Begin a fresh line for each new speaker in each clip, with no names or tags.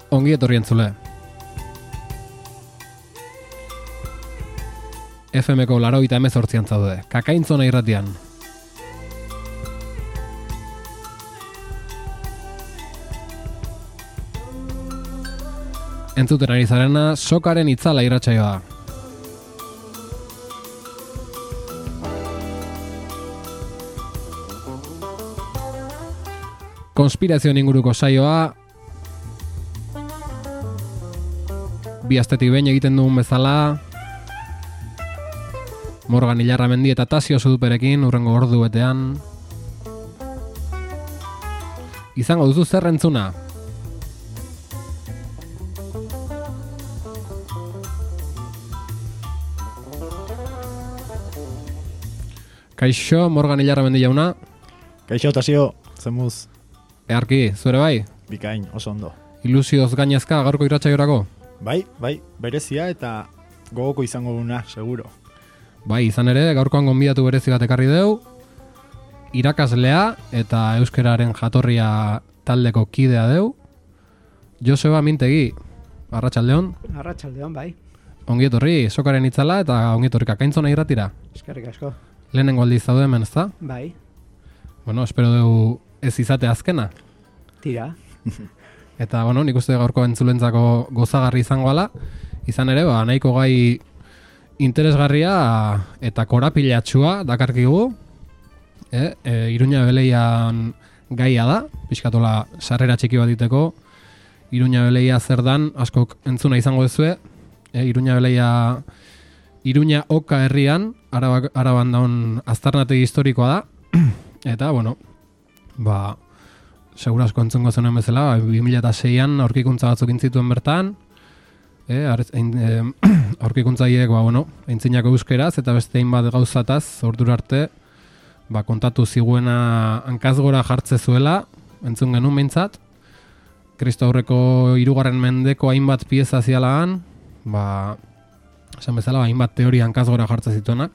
Ongi etorri entzule. FM-ko 88 zaude, Kakaintzona irratian. Entzuten ari zarena, Sokaren itzala irratsaioa. Konspirazioen inguruko saioa, bi astetik behin egiten dugun bezala, Morgan Ilarramendi eta Tasio Zuduperekin urrengo ordu betean. Izango duzu zer entzuna? Kaixo, Morgan Ilarramendi jauna.
Kaixo, Tasio, zemuz.
Earki, zuere bai?
Bikain, oso ondo.
Ilusioz gainezka gaurko irratsaiorako?
Bai, berezia eta gogoko izango duna, seguro.
Bai, izan ere, gaurkoan gonbidatu berezi bat ekarri deu, irakaslea eta euskararen jatorria taldeko kidea deu, Joseba Mintegi, arratsaldeon.
Arratsaldeon, bai.
Ongi etorri, Sokaren itzala eta ongi etorri Kakaintzona irratira.
Eskerrik asko.
Lehenengo aldiz zaude hemen, ezta?
Bai.
Bueno, espero dugu ez izate azkena.
Tira.
Eta, bueno, nik uste gaurko entzulentzako gozagarri izango ala, izan ere, nahiko gai interesgarria eta korapilatxua dakarkigu, Iruña Beleian gaia da, pixkatola sarrera txiki bat diteko, Iruña Beleia zer dan, askok entzuna izango dezue, Iruña Beleia, Iruña Oka herrian, Araban daun aztarnategi historikoa da, eta, bueno, segura asko entzungo zenuen bezala, 2006an aurkikuntza batzuk intzituen bertan, aurkikuntzaiek, aintzinako euskeraz eta beste hainbat gauzataz, ordura arte, kontatu ziguena hankazgora jartze zuela, entzun genuen behintzat, Kristo aurreko 3. mendeko hainbat pieza zialagan, esan bezala, hainbat teoria hankazgora jartze zituenak,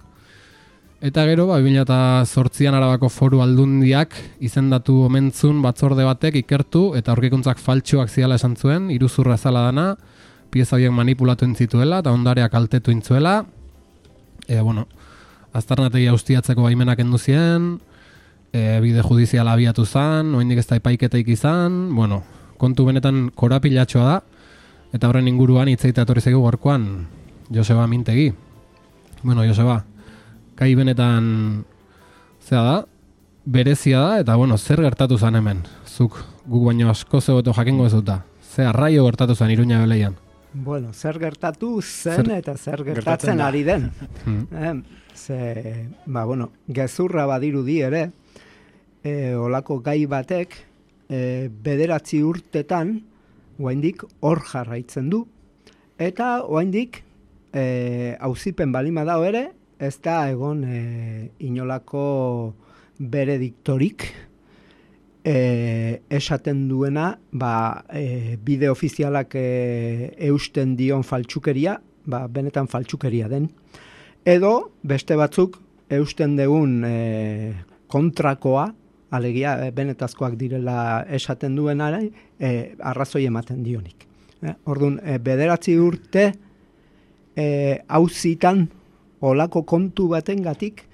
eta gero, 2008an Arabako Foru Aldundiak izendatu omentzun batzorde batek ikertu eta aurkikuntzak faltsuak ziala esan zuen, iruzurra zala dana, pieza horiek manipulatu intzituela eta ondareak kaltetu intzuela. Aztarnategi austiatzeko baimenak kendu zien, bide judiziala abiatu zan, oraindik ez da epaiketeik izan, kontu benetan korapilatxoa da, eta horren inguruan hitz egitea etorri zaigu gaurkoan Joseba Mintegi. Joseba, kai benetan zea da, berezia da, eta zer gertatu zan hemen? Zuk guk baino asko zegoeto jakingo ezuta. Ze arraio gertatu zan Iruña Beleian?
Zer gertatu zen eta zer gertatzen ari den. Gezurra badirudi ere, olako gai batek, 9 urtetan, oraindik hor jarraitzen du, eta oraindik auzipen balima dago ere, ez da egon inolako berediktorik esaten duena bide ofizialak eusten dion faltsukeria, benetan faltsukeria den. Edo beste batzuk eusten degun kontrakoa, alegia benetazkoak direla esaten duenara, arrazoi ematen dionik. Orduan, 9 urte auzitan olako kontu batengatik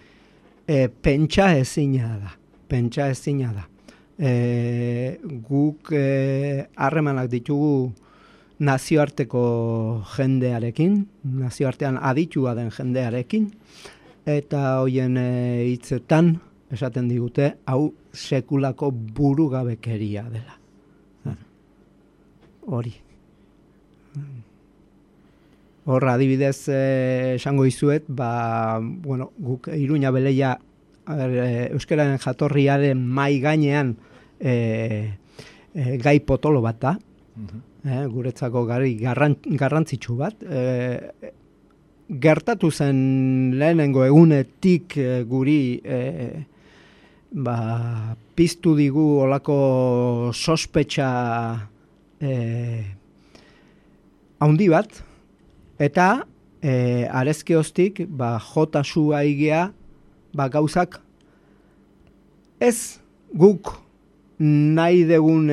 pentsa ezina da. Guk harremanak ditugu nazioarteko jendearekin, nazioartean aditua den jendearekin, eta hoien hitzetan esaten digute, hau sekulako burugabekeria dela. Hori. Hor, adibidez, esango izuet, guk Iruña Beleia euskararen jatorriaren mai gainean gai potolo bat da, guretzako garrantzitsu bat. Gertatu zen lehenengo egunetik guri piztu digu olako sospetxa haundi bat, eta arezkioztik jota sua igea gauzak ez guk nahi degun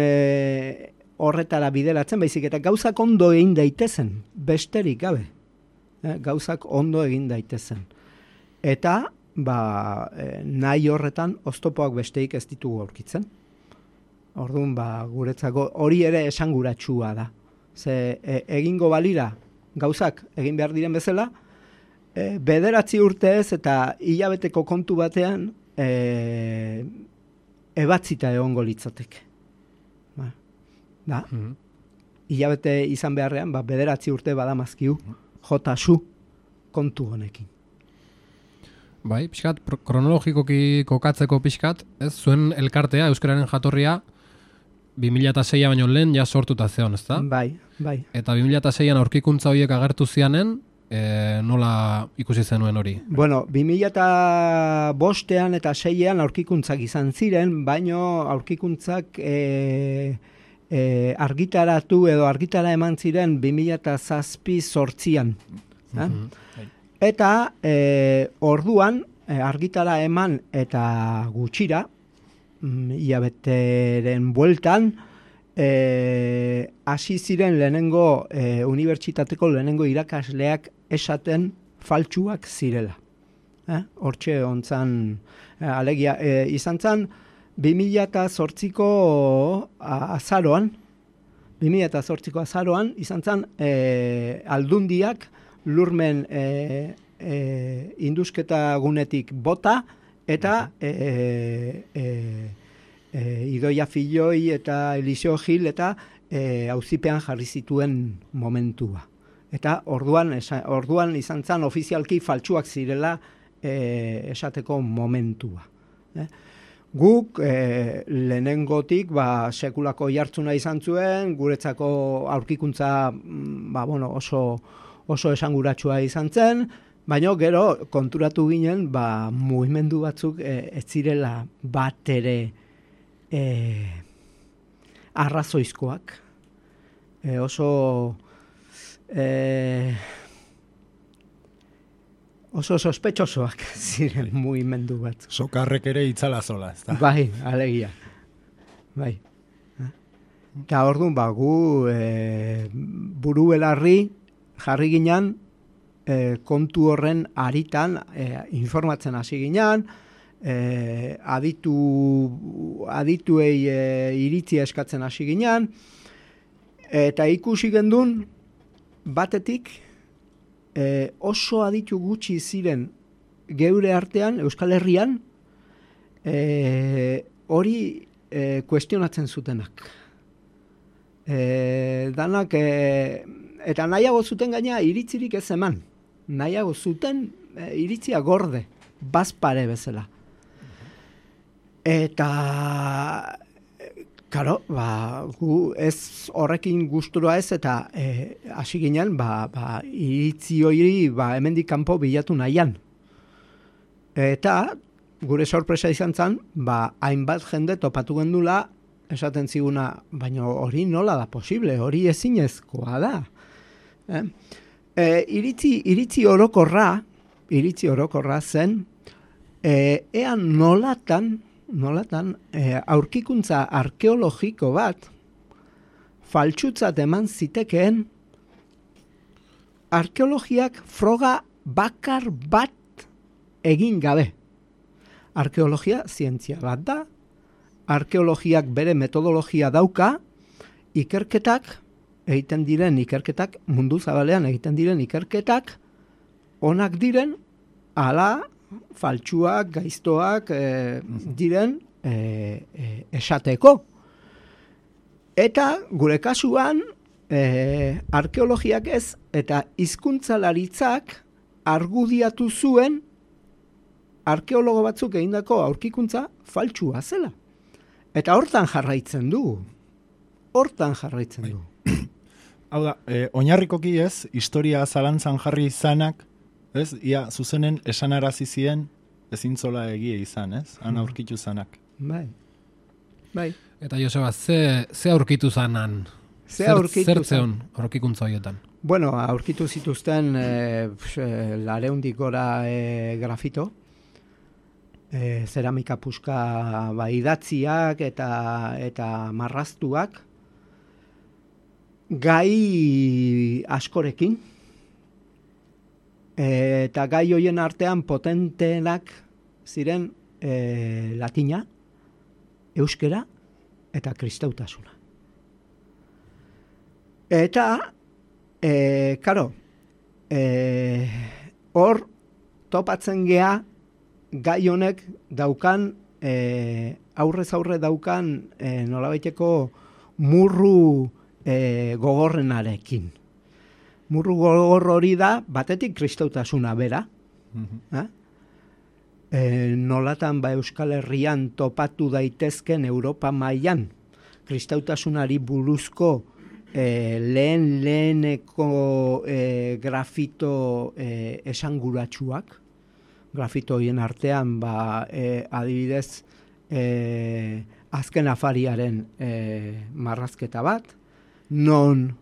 horretara bideratzen, baizik eta gauzak ondo egin daitezen, besterik gabe. Gauzak ondo egin daitezen. Eta, nahi horretan, oztopoak besteik ez ditugu aurkitzen. Orduan, guretzako hori ere esanguratsua da. Ze egingo balira gauzak egin behar diren bezala, 9 urtez eta hilabeteko kontu batean ebatzita egongo litzateke. Hilabete izan beharrean, 9 urte badamazkiu jotasu kontu honekin.
Bai, pixkat, kronologikoki kokatzeko pixkat, ez zuen elkartea, euskararen jatorria, 2006 baino lehen ja sortuta zeon, ezta?
Bai.
Eta 2006an aurkikuntza horiek agertu zianen, nola ikusi zenuen hori?
Bueno, 2005an eta 6an aurkikuntzak izan ziren, baino aurkikuntzak argitaratu edo argitara eman ziren 2007-8an. Eta orduan argitara eman eta gutxira, hilabeteren bueltan, hasi ziren lehenengo unibertsitateko lehenengo irakasleak esaten faltsuak zirela. Hortxe ontzan, alegia, izan zan, 2008ko azaroan, izan zan, aldundiak lurmen indusketa gunetik bota, eta Idoia Filloi eta Eliseo Gil eta auzipean jarri zituen momentua. Eta orduan izan zen ofizialki faltsuak zirela esateko momentua. Guk lehenengotik sekulako jartzuna izan zuen, guretzako aurkikuntza oso esanguratsua izan zen, baina gero konturatu ginen mugimendu batzuk ez zirela bat ere arrazoizkoak. Oso sospetxosoak ziren mugimendu batzuk.
Sokarrek ere itzala zola, ezta?
Bai, alegia. Bai. Eta orduan gu buru belarri jarri ginen kontu horren aritan informatzen hasi ginen, adituei iritzia eskatzen hasi ginen, eta ikusi gendun batetik oso aditu gutxi ziren geure artean, Euskal Herrian, hori kuestionatzen zutenak. Danak, eta nahiago zuten gaina iritzirik ez eman. Nahiago zuten iritzia gorde, bazpare bezala. Eta, karo, gu ez horrekin gustura ez, eta hasi ginen, iritzi hori hemendik kanpo bilatu nahian. Eta, gure sorpresa izan zen, hainbat jende topatu gendula, esaten ziguna, baina hori nola da posible, hori ezinezkoa da. Iritzi orokorra zen, ean nolatan aurkikuntza arkeologiko bat faltsutzat eman zitekeen arkeologiak froga bakar bat egin gabe. Arkeologia zientzia bat da, arkeologiak bere metodologia dauka, mundu zabalean egiten diren ikerketak onak diren, ala faltsuak, gaiztoak diren esateko. Eta gure kasuan arkeologiak ez eta hizkuntzalaritzak argudiatu zuen arkeologo batzuk egindako aurkikuntza faltsua zela. Eta hortan jarraitzen dugu.
Hau da, oinarrikoki ez, historia zalantzan jarri izanak, ez, ia zuzenen esanarazi zien ezintzola egie izan, ez? Han aurkitu zanak.
Bai.
Eta Joseba, ze aurkitu zanan? Zer zeon aurkikuntza horietan?
Bueno, aurkitu zituzten 200 gora grafito, zeramika puska idatziak eta marraztuak, gai askorekin, eta gai hoien artean potenteenak ziren latina, euskera eta kristautasuna. Eta, karo, hor topatzen gea gai honek daukan, aurrez aurre daukan nolabaiteko murru gogorrenarekin. Murru gogor hori da, batetik kristautasuna bera. Nolatan Euskal Herrian topatu daitezken Europa mailan kristautasunari buruzko leheneko grafito esanguratsuak. Grafito horien artean, adibidez, azken afariaren marrazketa bat, non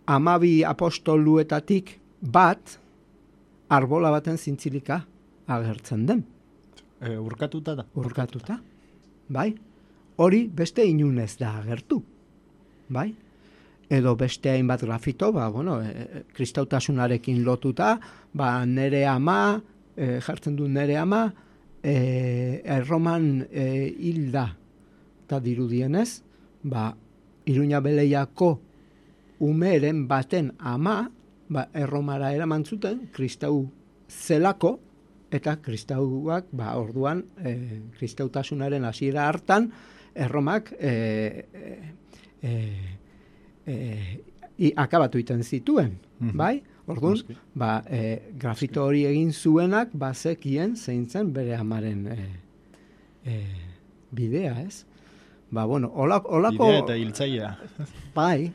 12 apostoluetatik bat arbola baten zintzilika agertzen den.
Urkatuta da.
Urkatuta, bai. Hori beste inunez da agertu, bai. Edo beste hainbat grafito, kristautasunarekin lotuta, nere ama, jartzen du nere ama, Erroman hilda, eta dirudienez, Iruña Beleiako umeren baten ama, Erromara eraman zuten, kristau zelako, eta kristauak, orduan, kristautasunaren hasiera hartan, Erromak akabatu iten zituen, bai? Orduan, grafito hori egin zuenak, zekien zein zen bere amaren bidea, ez? Olako...
Bidea eta hiltzailea.
Bai,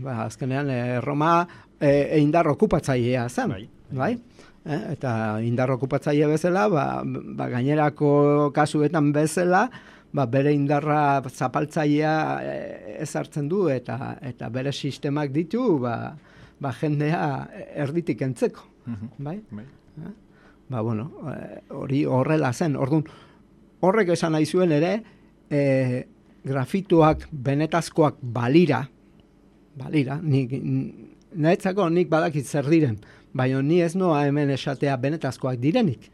azkenean Roma indar okupatzailea zen, bai? Eta indar okupatzaile bezala, gainerako kasuetan bezala, bere indarra zapaltzailea ezartzen du eta bere sistemak ditu, jendea erditik entzeko, bai? Hori horrela zen. Orduan, horrek esan nahi zuen ere, grafitoak benetazkoak balira, niretzako nik badakit zer diren, baina ni ez noa hemen esatea benetazkoak direnik.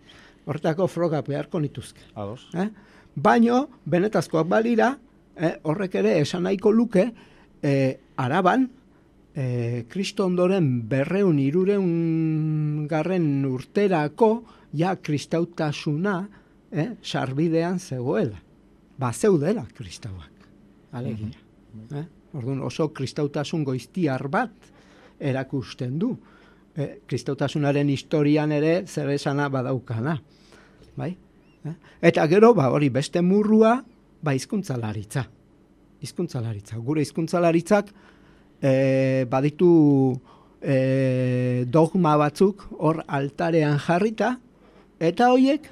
Horretako frogak beharko nituzke.
Ados.
Baina benetazkoak balira, horrek ere esan nahiko luke, Araban, Kristo ondoren 200-300 urterako ja kristautasuna sarbidean zegoela. Zeudela kristauak. Alegia. Orduan oso kristautasun goiztiar bat erakusten du. Kristautasunaren historian ere zer esana badaukana. Bai? Eta gero, hori beste murrua, hizkuntzalaritza. Hizkuntzalaritza. Gure hizkuntzalaritzak baditu dogma batzuk hor altarean jarrita, eta horiek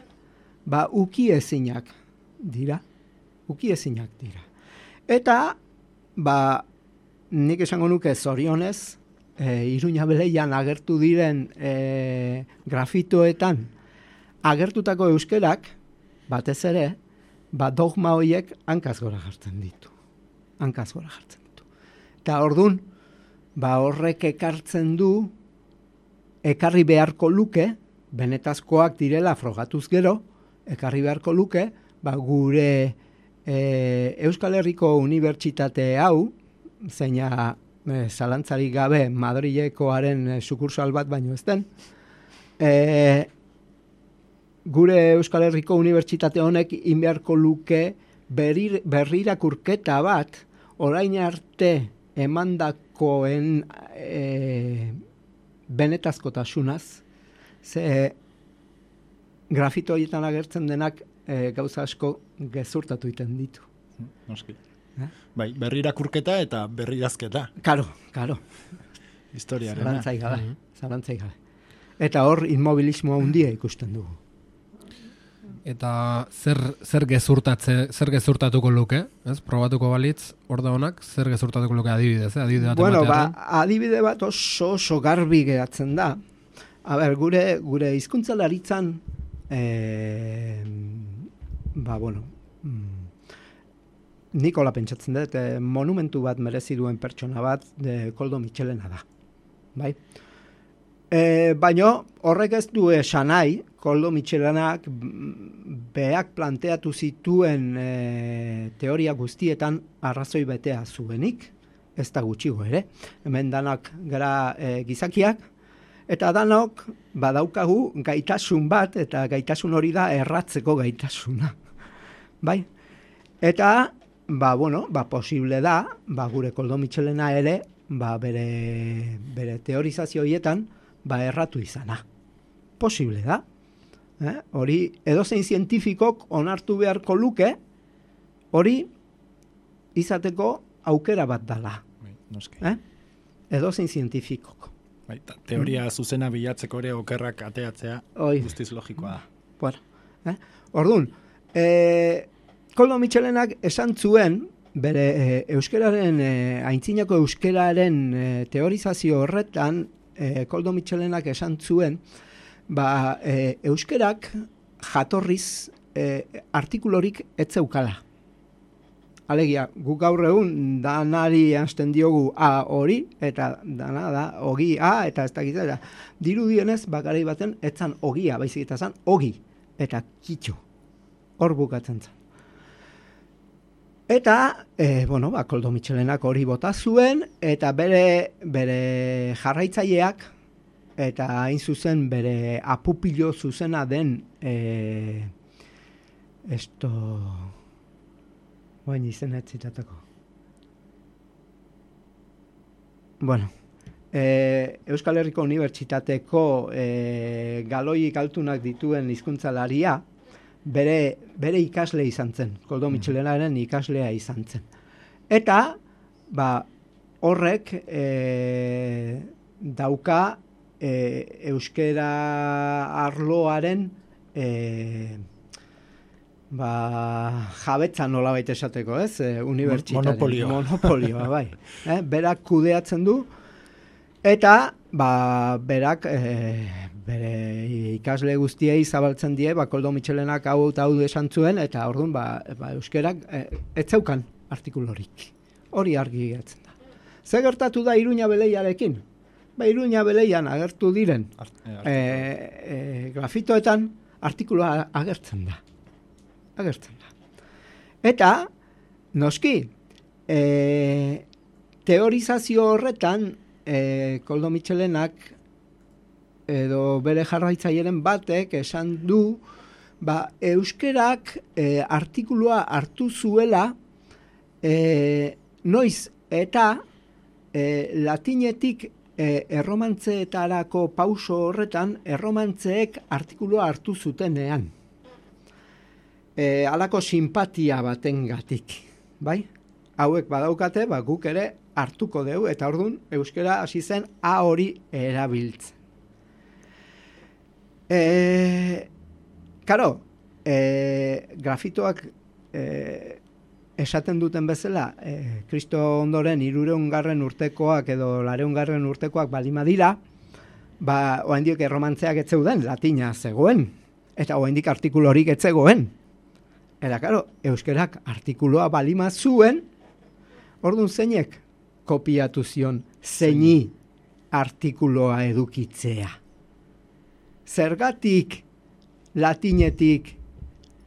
ukiezinak dira. Ukiezinak dira. Eta nik esango nuke zorionez, Iruña Beleian agertu diren grafitoetan agertutako euskerak, batez ere, dogma horiek hankaz gora jartzen ditu. Hankaz gora jartzen ditu. Eta orduan, horrek ekartzen du, ekarri beharko luke, benetazkoak direla frogatuz gero, ekarri beharko luke, gure Euskal Herriko Unibertsitate hau, zeina zalantzarik gabe Madrilekoaren sukursal bat baino ez den, gure Euskal Herriko Unibertsitate honek inbeharko luke berrirakurketa bat orain arte emandakoen benetazkotasunaz, ze grafito horietan agertzen denak gauza asko gezurtatu iten ditu.
Noski. Berrirakurketa eta berridazketa.
Karo.
Historiarena.
Zalantzai gabe. Eta hor inmobilismo handia ikusten dugu.
Eta zer gezurtatuko luke, ez? Probatuko balitz, hor da honak, zer gezurtatuko luke adibidez,
adibide bat oso garbi geratzen da. Gure hizkuntzalaritzan Nikola pentsatzen dut, monumentu bat merezi duen pertsona bat Koldo Mitxelena da. Bai? Baina horrek ez du esan nahi, Koldo Mitxelenak beak planteatu zituen teoria guztietan arrazoi betea zuenik, ez da gutxigo ere. Hemen danak gara gizakiak, eta danok badaukagu gaitasun bat, eta gaitasun hori da erratzeko gaitasuna. Bai? Eta, posible da, gure Koldo Mitxelena ere, bere teorizazio horietan, erratu izana. Posible da. Hori, edozein zientifikok onartu beharko luke, hori izateko aukera bat dala. Edozein zientifikok.
Teoria zuzena bilatzeko ere okerrak ateatzea guztiz logikoa da.
Bueno, orduan, Koldo Mitxelenak esan zuen, bere euskararen, aintzinako euskararen teorizazio horretan, Koldo Mitxelenak esan zuen, euskerak jatorriz artikulorik ez zeukala. Alegia, guk gaur egun danari hasten diogu A hori, eta dana da ogi A, eta ez dakitza. Dirudienez, bakarai baten, etzan ogia, baizik eta zan ogi, eta kitxo. Hor bukatzen zen. Eta, Koldo Mitxelenak hori bota zuen, eta bere jarraitzaileak, eta hain zuzen bere apupilo zuzena den, izena ez zitatako. Euskal Herriko Unibertsitateko galoik altunak dituen hizkuntzalaria, bere ikasle izan zen, Koldo Mitxelenaren ikaslea izan zen. Eta, horrek dauka euskera arloaren jabetza nolabait esateko, ez? Unibertsitatea. Monopolioa, bai. Berak kudeatzen du, eta berak bere ikasle guztiei zabaltzen die, Koldo Mitxelenak hau esan zuen, eta orduan euskerak ez zeukan artikulorik. Hori argi gertzen da. Ze gertatu da Iruña Beleiarekin? Iruña Beleian agertu diren grafitoetan artikuloa agertzen da. Eta, noski, teorizazio horretan Koldo Mitxelenak edo bere jarraitzaileen batek esan du euskerak artikulua hartu zuela noiz eta latinetik erromantzeetarako pauso horretan erromantzeek artikulua hartu zutenean. Halako simpatia batengatik, bai? Hauek badaukate, guk ere hartuko dugu, eta orduan euskera hasi zen A hori erabiltzen. Grafitoak esaten duten bezala, Kristo ondoren 300 urtekoak edo 400 urtekoak balima dira, oraindik erromantzeak ez zeuden, latina zegoen, eta oraindik artikulorik ez zegoen. Eta, euskerak artikuloa balima zuen, orduan zeinek kopiatu zion zeini artikuloa edukitzea. Zergatik latinetik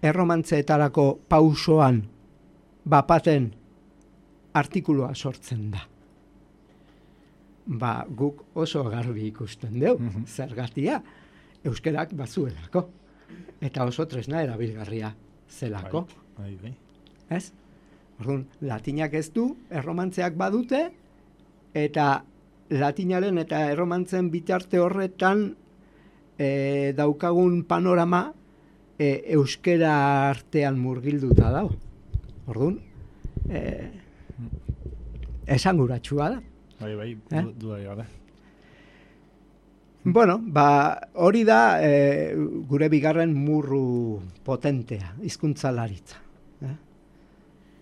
erromantzeetarako pausoan bapaten artikuloa sortzen da. Guk oso garbi ikusten dugu, zergatia euskerak bazuelako. Eta oso tresna erabilgarria zelako. Ez? Orduan, latinak ez du, erromantzeak badute, eta latinaren eta erromantzen bitarte horretan daukagun panorama euskera artean murgilduta dago. Orduan, esanguratsua da.
Bai, dudari gabe.
Hori da gure bigarren murru potentea, hizkuntzalaritza.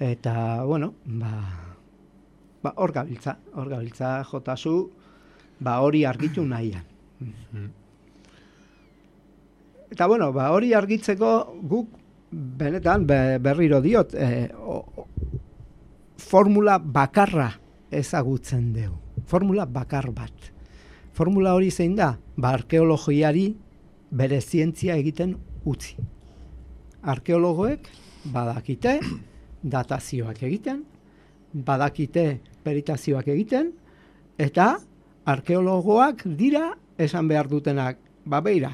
Eta, hor gabiltza jotazu, hori argitu nahian. Eta, hori argitzeko guk, benetan, berriro diot, formula bakarra ezagutzen dugu. Formula bakar bat. Formula hori zein da? Arkeologiari bere zientzia egiten utzi. Arkeologoek badakite datazioak egiten, badakite peritazioak egiten, eta arkeologoak dira esan behar dutenak, beira,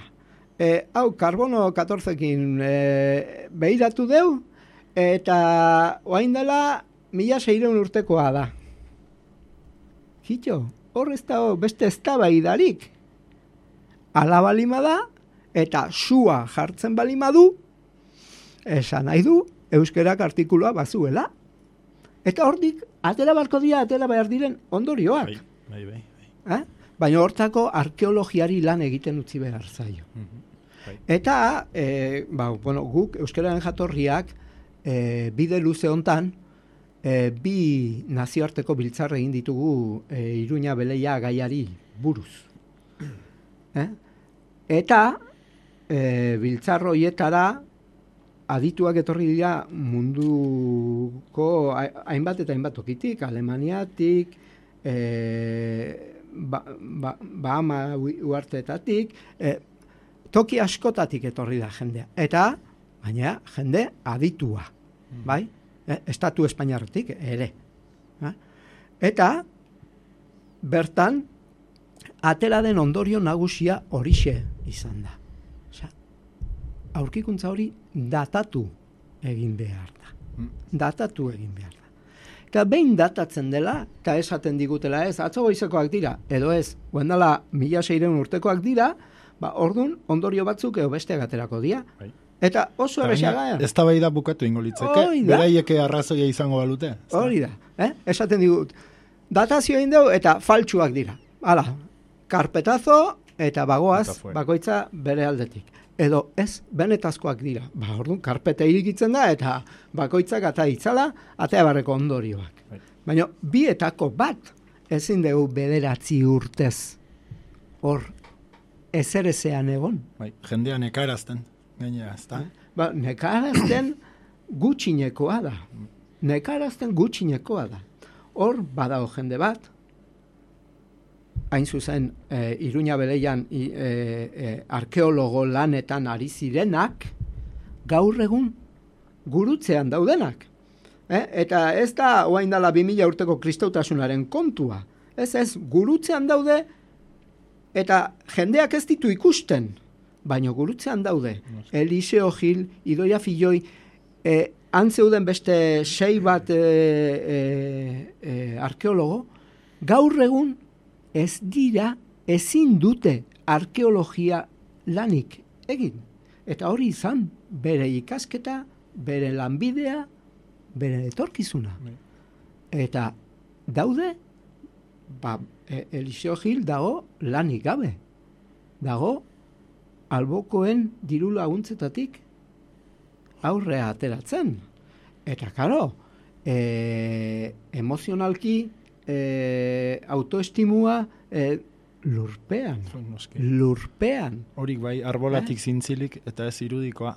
hau karbono 14-kin behiratu deu, eta oain dela 1600 urtekoa da. Kito, hor ez da beste eztabaidarik. Ala balima da, eta sua jartzen balima du, esan nahi du, euskerak artikulua bazuela. Eta hortik, atera barko dira, atera behar diren ondorioak.
Bai.
Baina hortako arkeologiari lan egiten utzi behar zaio. Eta, guk euskararen jatorriak bide luze hontan, bi nazioarteko biltzar egin ditugu Iruña Beleia gaiari buruz. Eta biltzar horietara adituak etorri dira munduko hainbat eta hainbat tokitik, Alemaniatik, Bahama uharteetatik, toki askotatik etorri da jendea. Eta, baina, jende aditua, bai? Estatu Espainiarretik ere. Eta, bertan, atera den ondorio nagusia horixe izan da. Aurkikuntza hori datatu egin behar da. Datatu egin behar da. Eta behin datatzen dela, eta esaten digutela ez, atzo goizekoak dira, edo ez, guendala 1600 urtekoak dira, ordun ondorio batzuk edo besteak aterako dira. Eta oso errexaga.
Ez da bai da bukatu ingo litzeke, beraieke arrazoia izango balute.
Hori da, esaten digut, datazio egin dugu eta faltsuak dira. Hala, karpetazo eta bagoaz, bakoitza bere aldetik. Edo ez, benetazkoak dira. Orduan, karpete irikitzen da eta bakoitzak ata itzala, atea barreko ondorioak. Baina, bietako bat, ezin dugu 9 urtez hor ezerezean egon.
Jendea nekarazten.
Nekarazten gutxinekoa da. Nekarazten gutxinekoa da. Hor badago jende bat, hain zuzen Iruña Beleian arkeologo lanetan ari zirenak, gaur egun gurutzean daudenak. Eta ez da oain dala 2000 urteko kristautasunaren kontua. Ez, gurutzean daude eta jendeak ez ditu ikusten. Baina gurutzean daude. Eliseo Gil, Idoia Filloi, antzeuden beste 6 bat arkeologo, gaur egun ez dira, ezin dute arkeologia lanik egin. Eta hori izan, bere ikasketa, bere lanbidea, bere etorkizuna. Eta daude, Eliseo Gil dago lanik gabe. Dago, albokoen diru laguntzetatik aurrea ateratzen. Eta, karo, emozionalki, autoestimua lurpean.
Horik bai, arbolatik zintzilik eta ez irudikoa.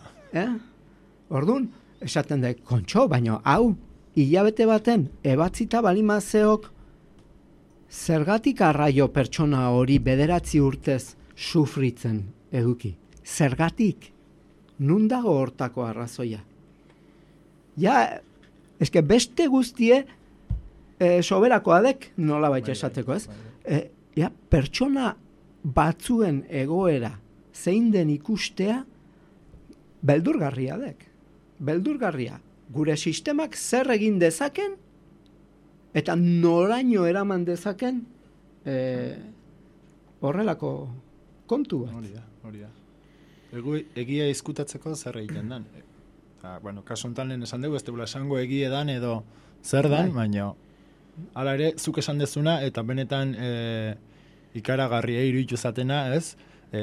Orduan, esaten da, kontxo, baina hau, hilabete baten, ebatzita balimazeok, zergatik arraio pertsona hori 9 urtez sufritzen eduki. Zergatik? Nun dago hortako arrazoia? Eske beste guztie soberakoa dek, nola baita esateko, ez? Pertsona batzuen egoera zein den ikustea beldurgarria dek. Beldurgarria. Gure sistemak zer egin dezaken eta noraino eraman dezaken horrelako kontu bat.
Hori da. Egia izkutatzeko zer egiten dan. Kaso honetan lehen esan dugu, ez dugula esango egie dan edo zer dan, baina hala ere, zuk esan dezuna, eta benetan ikaragarria iruditu zatena, ez?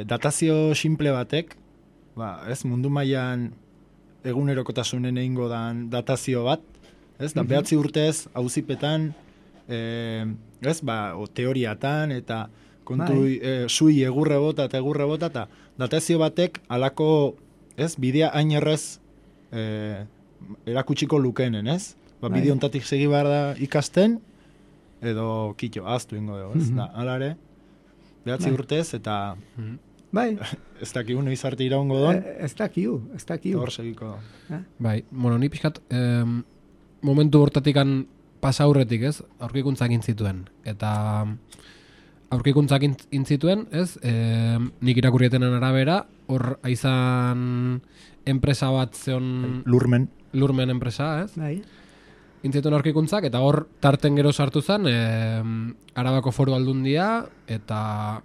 Datazio simple batek, ez, mundu mailan egunerokotasunen egingo dan datazio bat, ez? Da 9 urtez auzipetan, ez, teoriatan, eta kontu sui egurre bota, eta datazio batek alako, ez, bidea hain errez erakutsiko lukenen, ez? bideo hontatik segi behar da ikasten, edo kito, aztu ingo dugu, ez? Hala ere, 9 urtez, eta
Bai,
ez dakigu noiz arte iraungo don,
ez dakiu.
hor segiko.
Bai, bueno, ni pixkat momentu hortatikan pasa aurretik, ez? Aurkikuntzak intzituen. Eta aurkikuntzak intzituen, ez? Nik irakurrietenen arabera, hor aizan enpresa bat zeon... Lurmen enpresa, ez?
Bai.
Intzituen aurkikuntzak, eta hor tarten gero sartu zen, Arabako Foru Aldundia, eta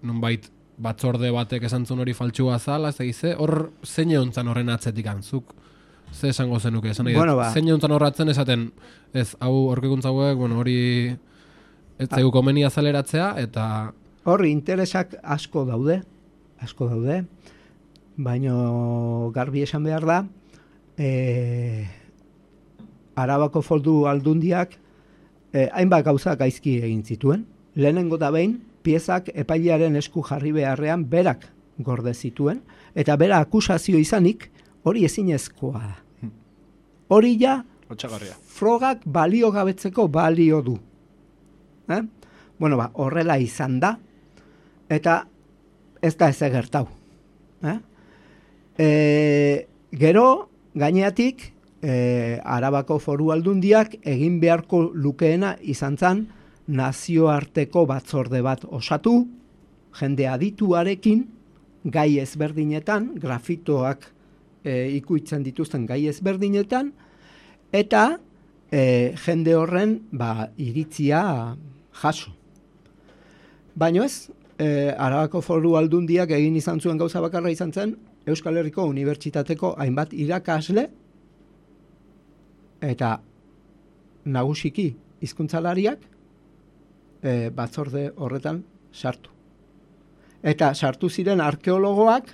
nunbait batzorde batek esantzun hori faltsua zala, ez egize, hor zein egontzan horren atzetik antzuk, ze esango zenuke, esan nahi, zein egontzan horratzen esaten, ez, hau aurkikuntza hauek, bueno, hori ez zaigu komeni azaleratzea, eta...
Horri interesak asko daude, baino garbi esan behar da, Arabako Foru Aldundiak hainbat gauza gaizki egin zituen. Lehenengo da behin, piezak epailearen esku jarri beharrean berak gorde zituen, eta bera akusazio izanik hori ezinezkoa da. Hori ja, frogak balio gabetzeko balio du. Bueno, horrela izan da, eta ez da ez egertau. Gero, gaineatik, Arabako Foru Aldundiak egin beharko lukeena izan zen nazioarteko batzorde bat osatu, jende adituarekin, gai ezberdinetan, grafitoak ikuitzen dituzten gai ezberdinetan, eta jende horren iritzia jaso. Baina ez, Arabako Foru Aldundiak egin izan zuen gauza bakarra izan zen, Euskal Herriko Unibertsitateko hainbat irakasle, eta nagusiki hizkuntzalariak batzorde horretan sartu. Eta sartu ziren arkeologoak,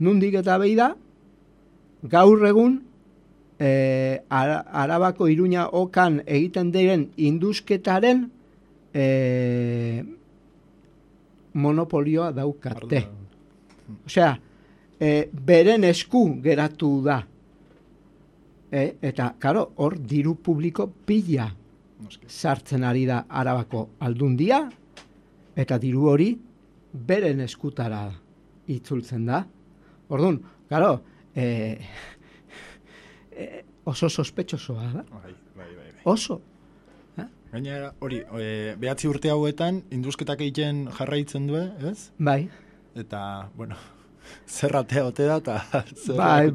nundik eta behi da, gaur egun Arabako Iruña okan egiten diren indusketaren monopolioa daukate. Osea, beren esku geratu da. Eta, karo, hor diru publiko pila sartzen ari da Arabako Aldundia, eta diru hori beren eskutara itzultzen da. Orduan, karo, oso sospetxosoa da.
Bai.
Oso.
Gainera, hori, 9 urte hauetan, indusketak egiten jarraitzen du, ez?
Bai.
Eta, bueno, zerratea ote da, eta...
Bai,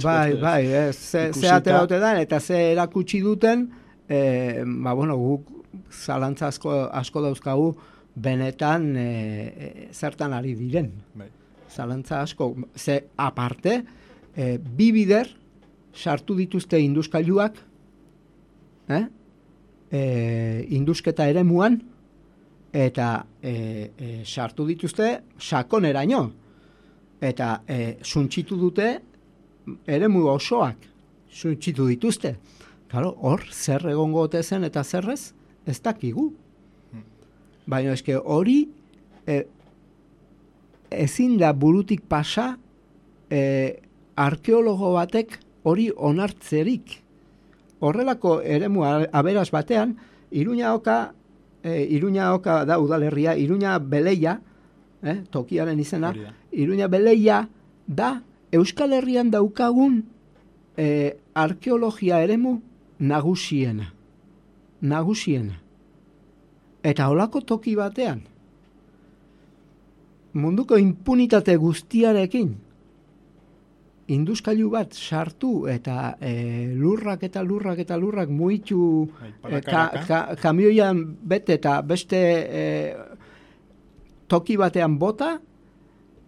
zerratea ote da, eta ze erakutsi duten, guk zalantza asko dauzkagu benetan zertan ari diren.
Bai.
Zalantza asko, ze aparte, bi bider sartu dituzte induskailuak, indusketa eremuan, eta sartu dituzte sakoneraino. Eta suntxitu dute eremu osoak suntxitu dituzte. Claro, hor, zer egongo ote zen eta zerrez, ez dakigu. Baina eske hori ezin da burutik pasa arkeologo batek hori onartzerik. Horrelako eremu aberas batean, Iruña oka da udalerria, Iruña Beleia, tokiaren izena, Iruña Beleia da Euskal Herrian daukagun arkeologia eremu nagusiena. Eta holako toki batean, munduko impunitate guztiarekin, induskailu bat sartu eta lurrak muitu kamioian bete eta beste toki batean bota,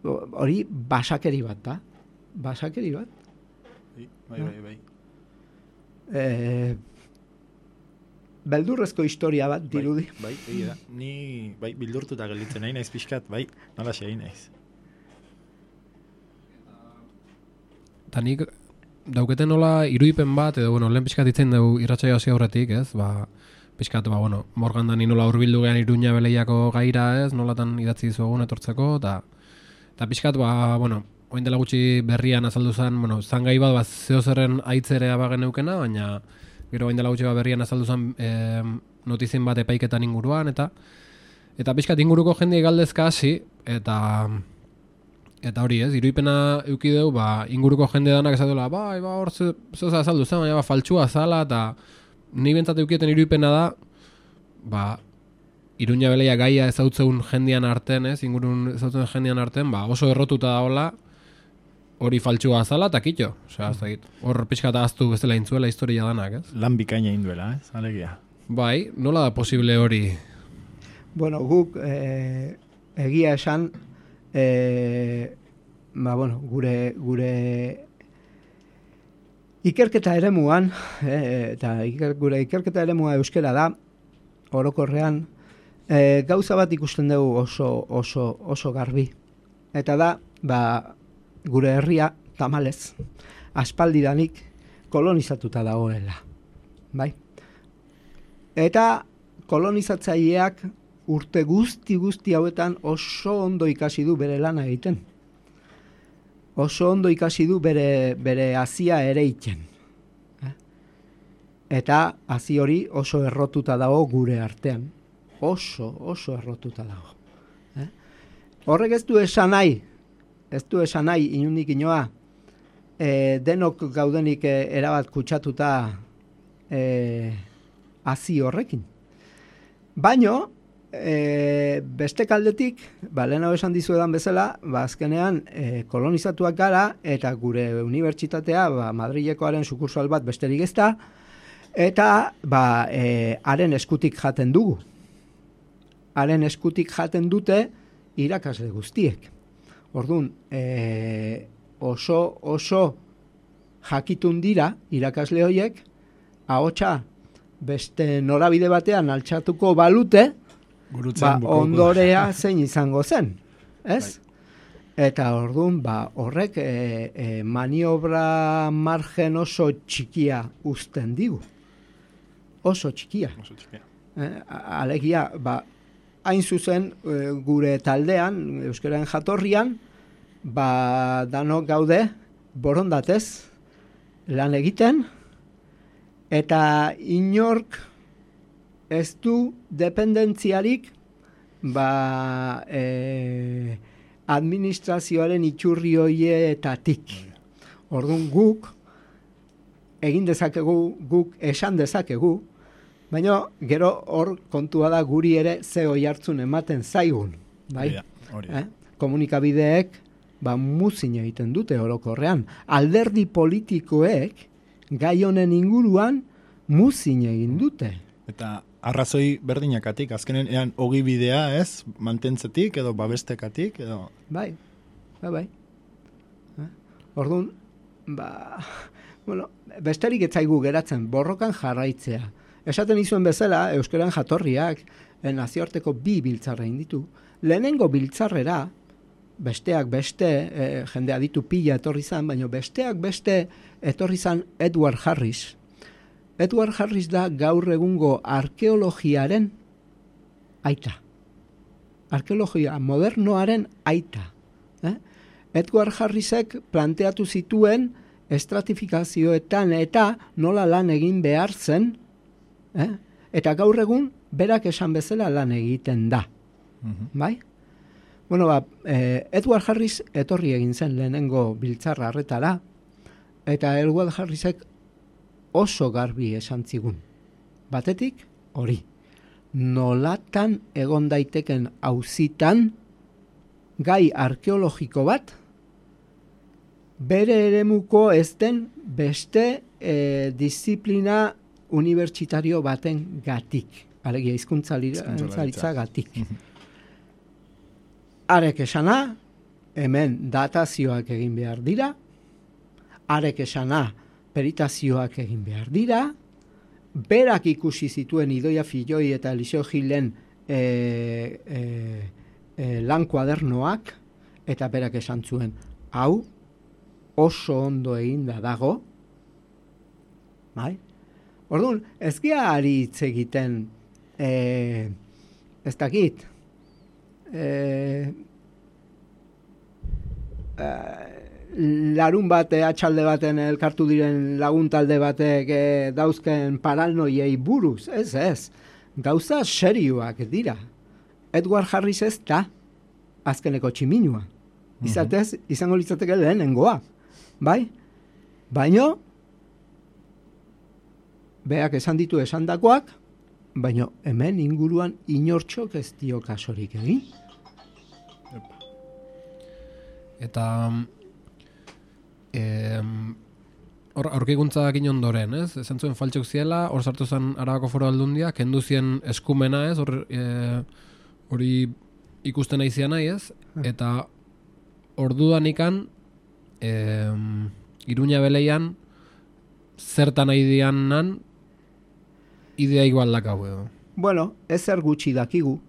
hori basakeri bat da. Basakeri bat.
Bai.
Beldurrezko historia bat dirudi.
Bai, da. Ni bildurtuta gelditzen nahi naiz pixkat, bai, nola egin naiz.
Eta nik dauketen nola irudipen bat, edo lehen pixkat itzen dugu irratsaio hasi aurretik, ez? Pixkat, Morgan Dani nola hurbildu gean Iruña Beleiako gaira, ez? Nolatan idatzi dizuegun etortzeko, eta pixkat, oin dela gutxi berrian azaldu zen, zan gai bat, zeozerren aitzerea bagen eukena, baina Gero bain dela gutxi berrian azaldu zen notizien bat epaiketan inguruan, eta pixkat inguruko jendei galdezka hasi, eta hori ez, iruipena eukideu, inguruko jende danak esatela, hor zoza azaldu zen, baina faltsua zala, eta ni bentsat eukieten iruipena da, Iruña Beleia gaia ezautzen jendean arten, ez, ingurun ezautzen jendean arten, oso errotuta daola, hori faltsua azala, eta kitxo. Osea, ez dakit. Hor pixkat ahaztu bezala intzuela historia danak, ez?
Lan bikaina induela, ez? Alegia.
Bai, nola da posible hori?
Bueno, guk egia esan, gure ikerketa eremuan, eta gure ikerketa eremua euskera da, orokorrean, gauza bat ikusten dugu oso garbi. Eta da, gure herria tamalez, aspaldidanik kolonizatuta dagoela. Bai? Eta kolonizatzaileak urte guzti hauetan oso ondo ikasi du bere lana egiten. Oso ondo ikasi du bere hazia ere iten. Eta hazi hori oso errotuta dago gure artean. Oso errotuta dago. Horrek ez du esan nahi, inundik inoa, denok gaudenik erabat kutsatuta hazi horrekin. Baino, beste kaldetik, lehenago esan dizuedan bezala, azkenean kolonizatuak gara, eta gure unibertsitatea, Madrilekoaren sukursal bat besterik ez da, eta haren eskutik jaten dugu. Haren eskutik jaten dute irakasle guztiek. Orduan, oso jakitun dira irakasle horiek, ahotsa beste norabide batean altxatuko balute, ondorea zein izango zen, ez? Eta orduan, horrek maniobra margen oso txikia uzten digu. Oso txikia. Alegia, hain zuzen gure taldean, euskararen jatorrian, danok gaude borondatez lan egiten, eta inork ez du dependentziarik administrazioaren iturri horietatik. Orduan guk egin dezakegu, guk esan dezakegu, baina gero hor kontua da guri ere ze oihartzun ematen zaigun. Bai? Komunikabideek muzin egiten dute orokorrean. Alderdi politikoek gai honen inguruan muzin egin dute.
Eta arrazoi berdinakatik, azkenen ean ogibidea ez, mantentzetik edo babestekatik edo... Bai.
Orduan, besterik ez zaigu geratzen, borrokan jarraitzea. Esaten izuen bezala, euskaran jatorriak nazioarteko 2 biltzarra inditu. Lehenengo biltzarrera, besteak beste, jendea ditu pila etorri zan, baina besteak beste etorri zan Edward Harris. Edward Harris da gaur egungo arkeologiaren aita. Arkeologia modernoaren aita. Edward Harrisek planteatu zituen estratifikazioetan eta nola lan egin behar zen, eta gaur egun berak esan bezala lan egiten da. Bai? Bueno, Edward Harris etorri egin zen lehenengo biltzarra harretara, eta Edward Harrisek oso garbi esan zigun. Batetik, hori. Nolatan egon daiteken auzitan gai arkeologiko bat, bere eremuko ez den beste disiplina unibertsitario baten gatik. Alegia, hizkuntzalitza gatik. Arek esana, hemen datazioak egin behar dira, arek esana, peritazioak egin behar dira, berak ikusi zituen Idoia Filloi eta Eliseo Gilen lan kuadernoak, eta berak esan zuen, hau oso ondo eginda dago, bai? Orduan, ez gea ari hitz egiten, ez dakit, larun bate, atxalde baten elkartu diren laguntalde batek dauzken paranoiei buruz, ez. Gauza serioak dira. Edward Harris ez da azkeneko tximinua. Izatez, izango litzateke lehenengoa. Bai? Baino, beak esan ditu esandakoak, baino hemen inguruan inortxok ez dio kasorik egin.
Eta aurkikuntzak ondoren, ez? Esan zuen faltxok ziela, hor sartu zen Arabako Foru Aldundia, kendu zien eskumena, ez? Hori ikusten nahi zian nahi, ez? Eta orduan ikan Iruña Beleian zertan nahi dianan idea igual dakau edo.
Bueno, ezer gutxi dakigu.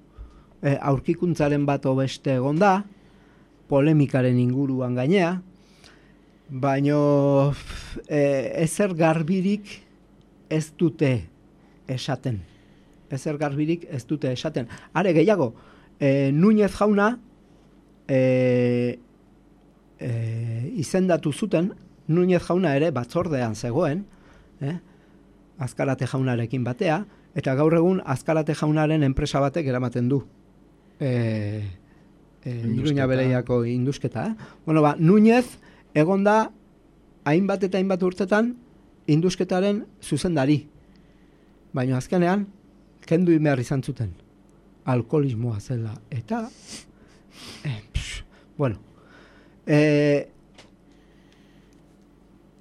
Aurkikuntzaren bat beste egon da, polemikaren inguruan gainea, baino ezer garbirik ez dute esaten. Are gehiago, Núñez jauna izendatu zuten, Núñez jauna ere batzordean zegoen, Azkarate jaunarekin batea, eta gaur egun Azkarate jaunaren enpresa batek eramaten du Iruña Beleiako indusketa. Bueno, Núñez egon da hainbat eta hainbat urtetan indusketaren zuzendari. Baina azkenean, kendu behar izan zuten. Alkoholismoa zela. Eta, bueno,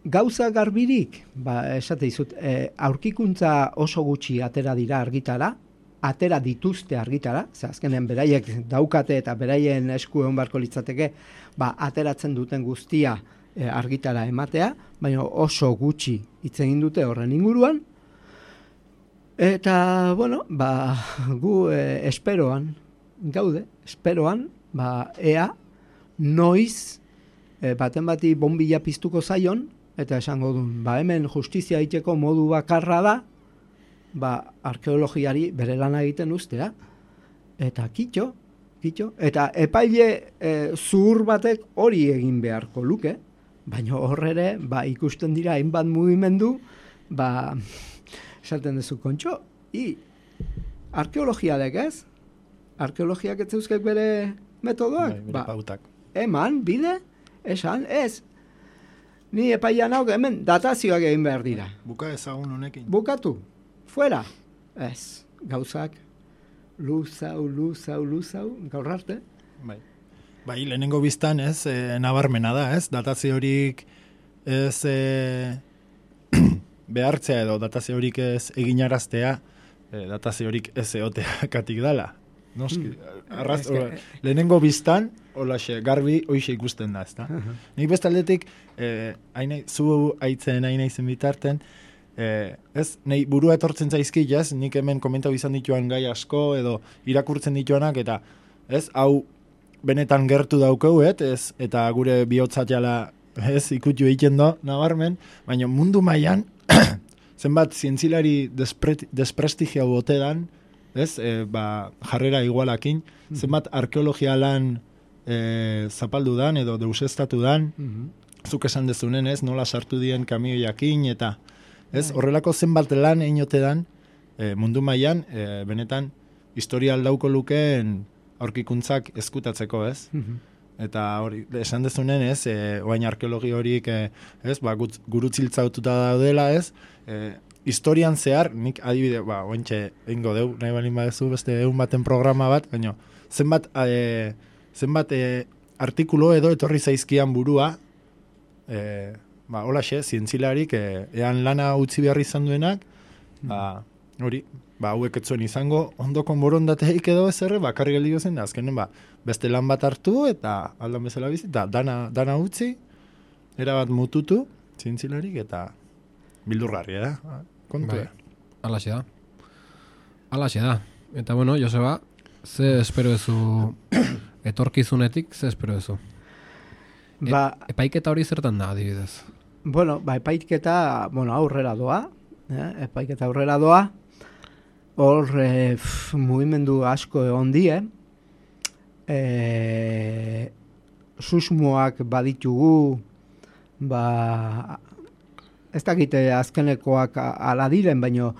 gauza garbirik, esate dizut, aurkikuntza oso gutxi atera dira argitara, atera dituzte argitara, ze azkenean beraiek daukate eta beraien esku egon barko litzateke, ateratzen duten guztia argitara ematea, baina oso gutxi hitz egin dute horren inguruan, eta, bueno, gu esperoan gaude, ea noiz baten bati bombilla piztuko zaion, eta esango duen, hemen justizia egiteko modu bakarra da, arkeologiari bere lana egiten ustea, eta kitxo, eta epaile zuhur batek hori egin beharko luke, baina horrere, ikusten dira hainbat mugimendu, esaten duzu kontxo, arkeologiadek ez? Arkeologiak ez zeuzkek bere metodoak?
Bere pautak.
Eman, bide, esan, ez. Ni epaian hau, hemen datazioak egin behar dira.
Buka ezagun honekin.
Bukatu, fuera. Ez, gauzak, luzau, gaur arte.
Lehenengo biztan ez, nabarmena da, ez? Datazio horik ez behartzea edo datazio horik ez eginaraztea, datazio horik ez eoteakatik dala. Noski, lehenengo biztan, holaxe, garbi, hoixe ikusten da, ezta? Nik bestaldetik, zu aitzen hain naizen bitarten, nahi burua etortzen zaizki, nik hemen komentau izan dituan gai asko, edo irakurtzen dituanak, eta hau benetan gertu daukau, eta gure bihotzat jala ikutu egiten do, nabarmen, baina mundu mailan zenbat zientzilari desprestigiau botedan, jarrera igualakin, zenbat arkeologia lan zapaldu dan, edo deusestatu dan, zuk esan dezunen, nola sartu dien kamioiakin, eta horrelako zenbat lan einote dan, mundu mailan benetan historial dauko lukeen aurkikuntzak eskutatzeko, eta hori, esan dezunen, oain arkeologi horik, gurutziltzaututa daudela, historian zehar, nik adibide, ointxe ingo deu, nahi balin badezu beste egun baten programa bat, baina zenbat artikulo edo etorri zaizkian burua, holaxe, zientzilarik, ean lana utzi behar izan duenak, hori, hauek etzuen izango, ondoko borondateik edo ezerre, bakarri geldi gozen, azkenen, beste lan bat hartu, eta aldan bezala bizi, eta dana utzi, erabat mututu, zientzilarik, eta bildurgarria da, kontua.
Alaxe da. Eta bueno, Joseba, ze espero ezu etorkizunetik, ze espero ezu? Epaiketa hori zertan da, adibidez?
Bueno, epaiketa, aurrera doa, epaiketa aurrera doa, hor mugimendu asko egon die, susmoak baditugu ez dakite azkenekoak ala diren, baino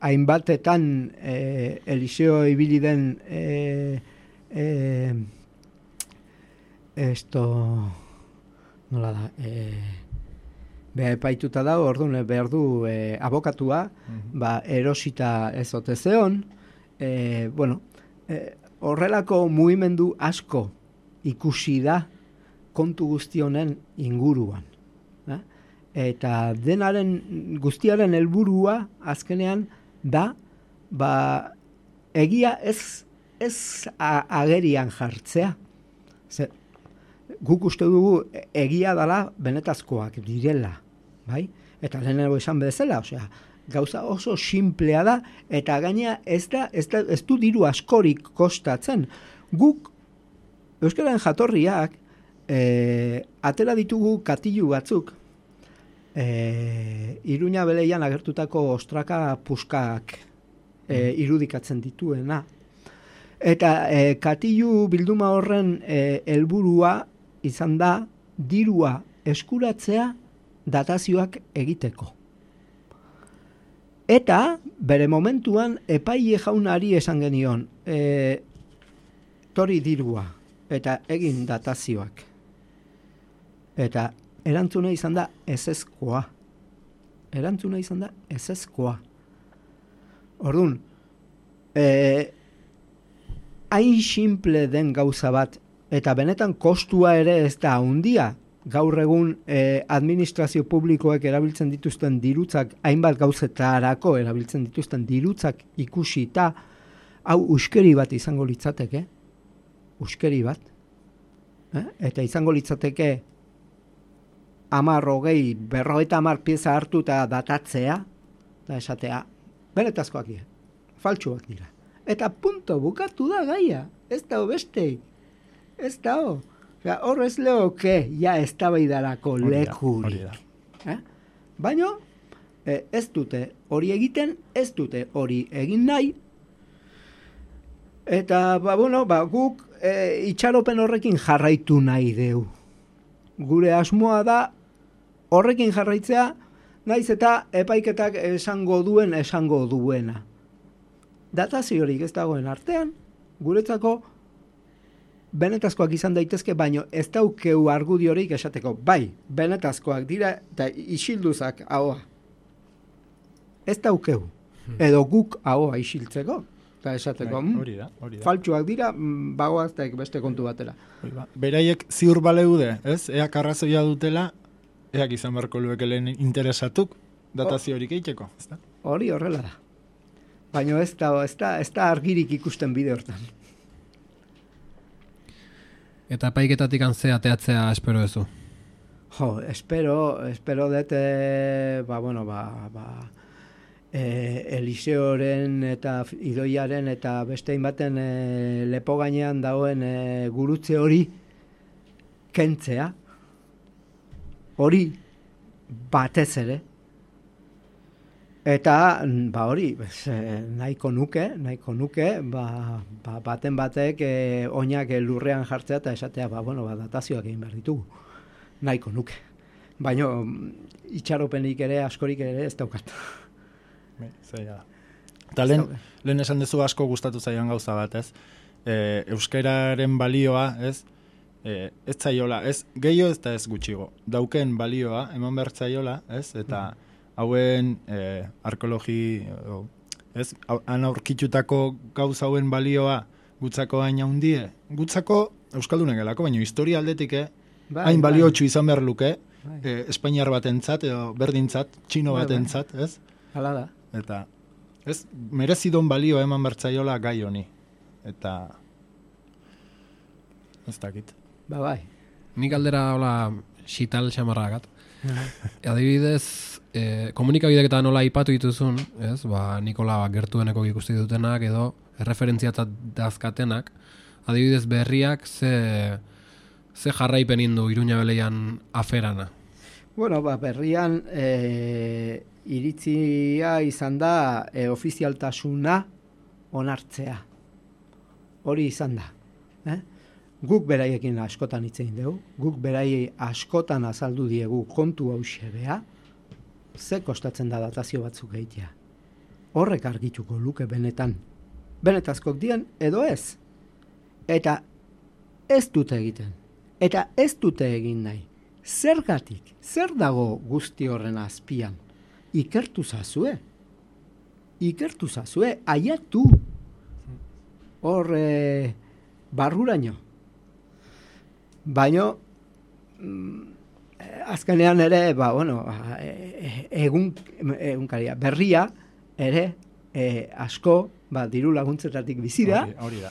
hainbatetan Eliseo ibili den nola da, beha epaituta da, orduan behar du abokatua, erosita ez ote zeon, horrelako mugimendu asko ikusi da kontu guztionen inguruan. Eta guztiaren helburua azkenean da, egia ez agerian jartzea. Guk uste dugu egia dela benetazkoak direla, bai? Eta lehenago esan bezala, osea, gauza oso simplea da, eta gaina ez du diru askorik kostatzen. Guk, euskararen jatorriak, atera ditugu katilu batzuk, Iruña Beleian agertutako ostraka puskak irudikatzen dituena. Eta katilu bilduma horren helburua izan da dirua eskuratzea datazioak egiteko. Eta bere momentuan epaile jaunari esan genion, tori dirua eta egin datazioak. Eta erantzuna izan da ezezkoa. Orduan, hain simple den gauza bat, eta benetan kostua ere ez da handia, gaur egun administrazio publikoek erabiltzen dituzten dirutzak, hainbat gauzetarako erabiltzen dituzten dirutzak ikusita, hau uskeri bat izango litzateke, eta izango litzateke 10, 20, 50 pieza hartu eta datatzea, eta esatea, benetazkoak dira, faltsuak dira. Eta punto, bukatu da gaia, ez da beste, ez da hor ez leoke, ja ez da baidarako lekurik. Baina, ez dute hori egiten, ez dute hori egin nahi, eta guk itxaropen horrekin jarraitu nahi deu. Gure asmoa da horrekin jarraitzea, naiz eta epaiketak esango duena. Dataziorik ez dagoen artean, guretzako benetazkoak izan daitezke, baino ez daukeu argudiorik esateko, bai, benetazkoak dira eta isilduzak ahoa. Ez daukeu. Edo guk ahoa isiltzeko. Eta esateko,
hori da.
Faltsuak dira, bagoaztek beste kontu batera.
Beraiek ziur baleude, ez? Eak arrazoia dutela, eak izan beharko lueke lehen interesatuk datazio horik egiteko, ezta?
Hori horrela da. Baina ez da argirik ikusten bide hortan.
Eta epaiketatik antzea ateatzea espero duzu?
Espero dut, Eliseoren eta Idoiaren eta beste baten lepo gainean dagoen gurutze hori kentzea, hori batez ere, eta hori nahiko nuke baten batek oinak lurrean jartzea eta esatea datazioak egin behar ditugu, nahiko nuke, baina itxaropenik ere askorik ere ez daukat.
Eta lehen esan dezu asko gustatu zaion gauza bat, ez? Euskararen balioa, ez? Ez zaiola, ez gehiago ez da ez gutxigo. Dauken balioa, eman behar zaiola, ez? Eta hauen arkeologi, ez? Han aurkitutako gauza hauen balioa gutzako hain handie. Gutzako euskaldunen gelako, baina historia aldetik, hain baliotsu izan behar luke, Espainiar batentzat, edo berdintzat, txino batentzat, ez?
Hala da.
Eta ez merezidon balio eman bertzaiola gai honi. Eta ez dakit.
Bai.
Nik aldera hola xital xamarragat. Adibidez, komunikabideketan nola ipatu dituzun, ez? Nikola gertueneko ikusti dutenak edo erreferentziatzat dazkatenak. Adibidez, berriak ze jarraipen indu Iruña Beleian aferana.
Berrian iritzia izan da ofizialtasuna onartzea. Hori izan da. guk beraiekin askotan hitz egin dugu, guk beraiei askotan azaldu diegu kontu hauxe bea, ze kostatzen da datazio batzuk egitea. Horrek argituko luke benetan. Benetazkok dien edo ez. Eta ez dute egiten. Eta ez dute egin nahi. Zergatik, zer dago guzti horren azpian? Ikertu zazue. Ikertu zazue, aiatu. Hor barruraino. Baino, azkenean ere, egunkaria, berria, ere, asko, diru laguntzetatik bizi da.
Hori da.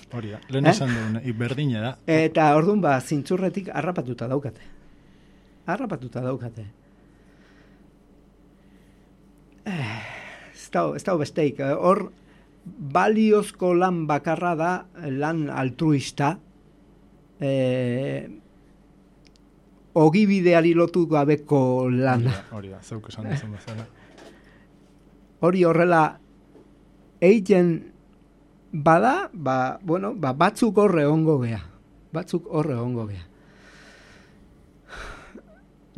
Lehen esan duen, berdina da.
Eta orduan, zintzurretik harrapatuta daukate. Ez da besteik. Hor, baliozko lan bakarra da, lan altruista, ogibideari lotu gabeko lana.
Hori da, zeuk esan duzun bezala.
Hori horrela egiten bada, batzuk horre ongo gea.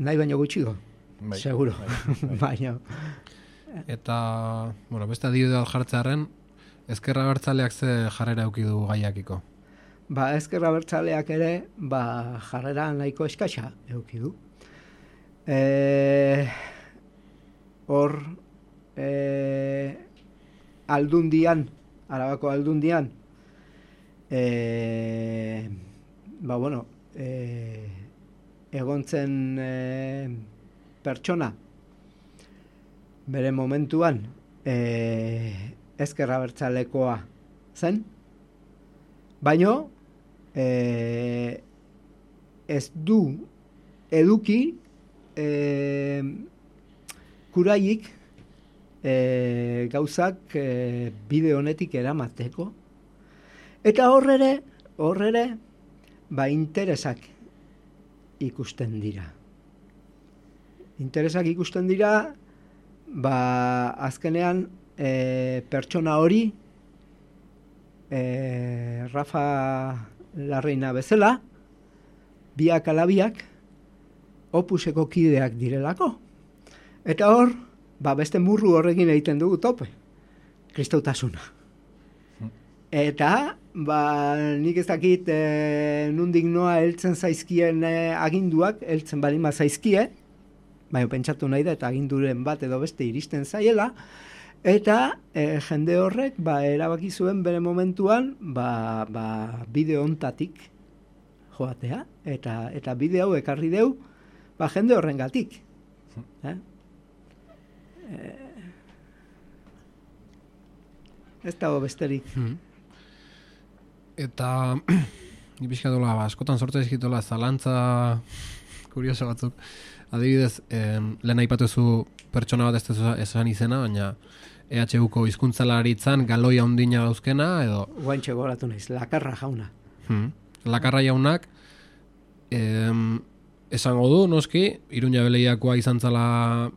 Nahi baino gutxigo, seguro. Baina.
Eta, beste adibide bat jartzearen, Ezker Abertzaleak ze jarrera eduki du gaiakiko?
Ezker Abertzaleak ere, jarrera nahiko eskasa eduki du. Hor, Aldundian, Arabako Aldundian, egontzen pertsona, bere momentuan, Ezker Abertzalekoa zen, baino ez du eduki kuraiik gauzak bide honetik eramateko. Eta horrere, interesak ikusten dira. Azkenean, pertsona hori, Rafa Larreina bezala, biak alabiak, opuseko kideak direlako. Eta hor, beste murru horrekin egiten dugu tope. Kristautasuna. Eta, nik ez dakit nundik noa heltzen zaizkien aginduak, heltzen balima zaizkie, baina pentsatu nahi da, eta aginduren bat edo beste iristen zaiela, eta jende horrek erabaki zuen bere momentuan bide hontatik joatea, eta bide hau ekarri deu jende horrengatik. Ez dago besterik.
Eta ni pixkatola, askotan sortza izkitola zalantza kurioso batzuk. Adibidez, lehen aipatuzu pertsona bat ez esan izena, baina EHUko hizkuntzalaritzan galoia ondina dauzkena, edo...
Guantxe goratu naiz, Lakarra jauna.
Lakarra jaunak, esango du, noski, Iruña Beleiakoa izan zala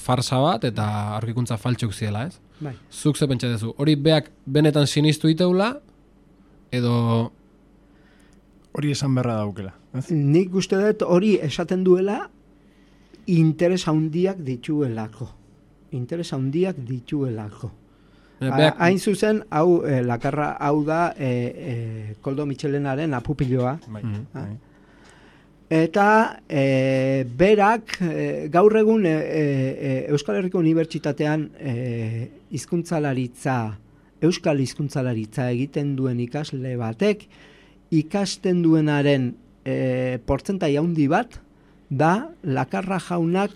farsa bat, eta aurkikuntza faltsuk ziela, ez?
Bai.
Zuk ze pentsa dezu, hori beak benetan sinistu iteula, edo...
Hori esan berra daukela.
Nik uste dut hori esaten duela interes handiak dituelako. Hain zuzen, hau Lakarra hau da Koldo Mitxelenaren apupiloa. Eta berak gaur egun Euskal Herriko Unibertsitatean Euskal hizkuntzalaritza egiten duen ikasle batek ikasten duenaren portzentai handi bat da Lakarra jaunak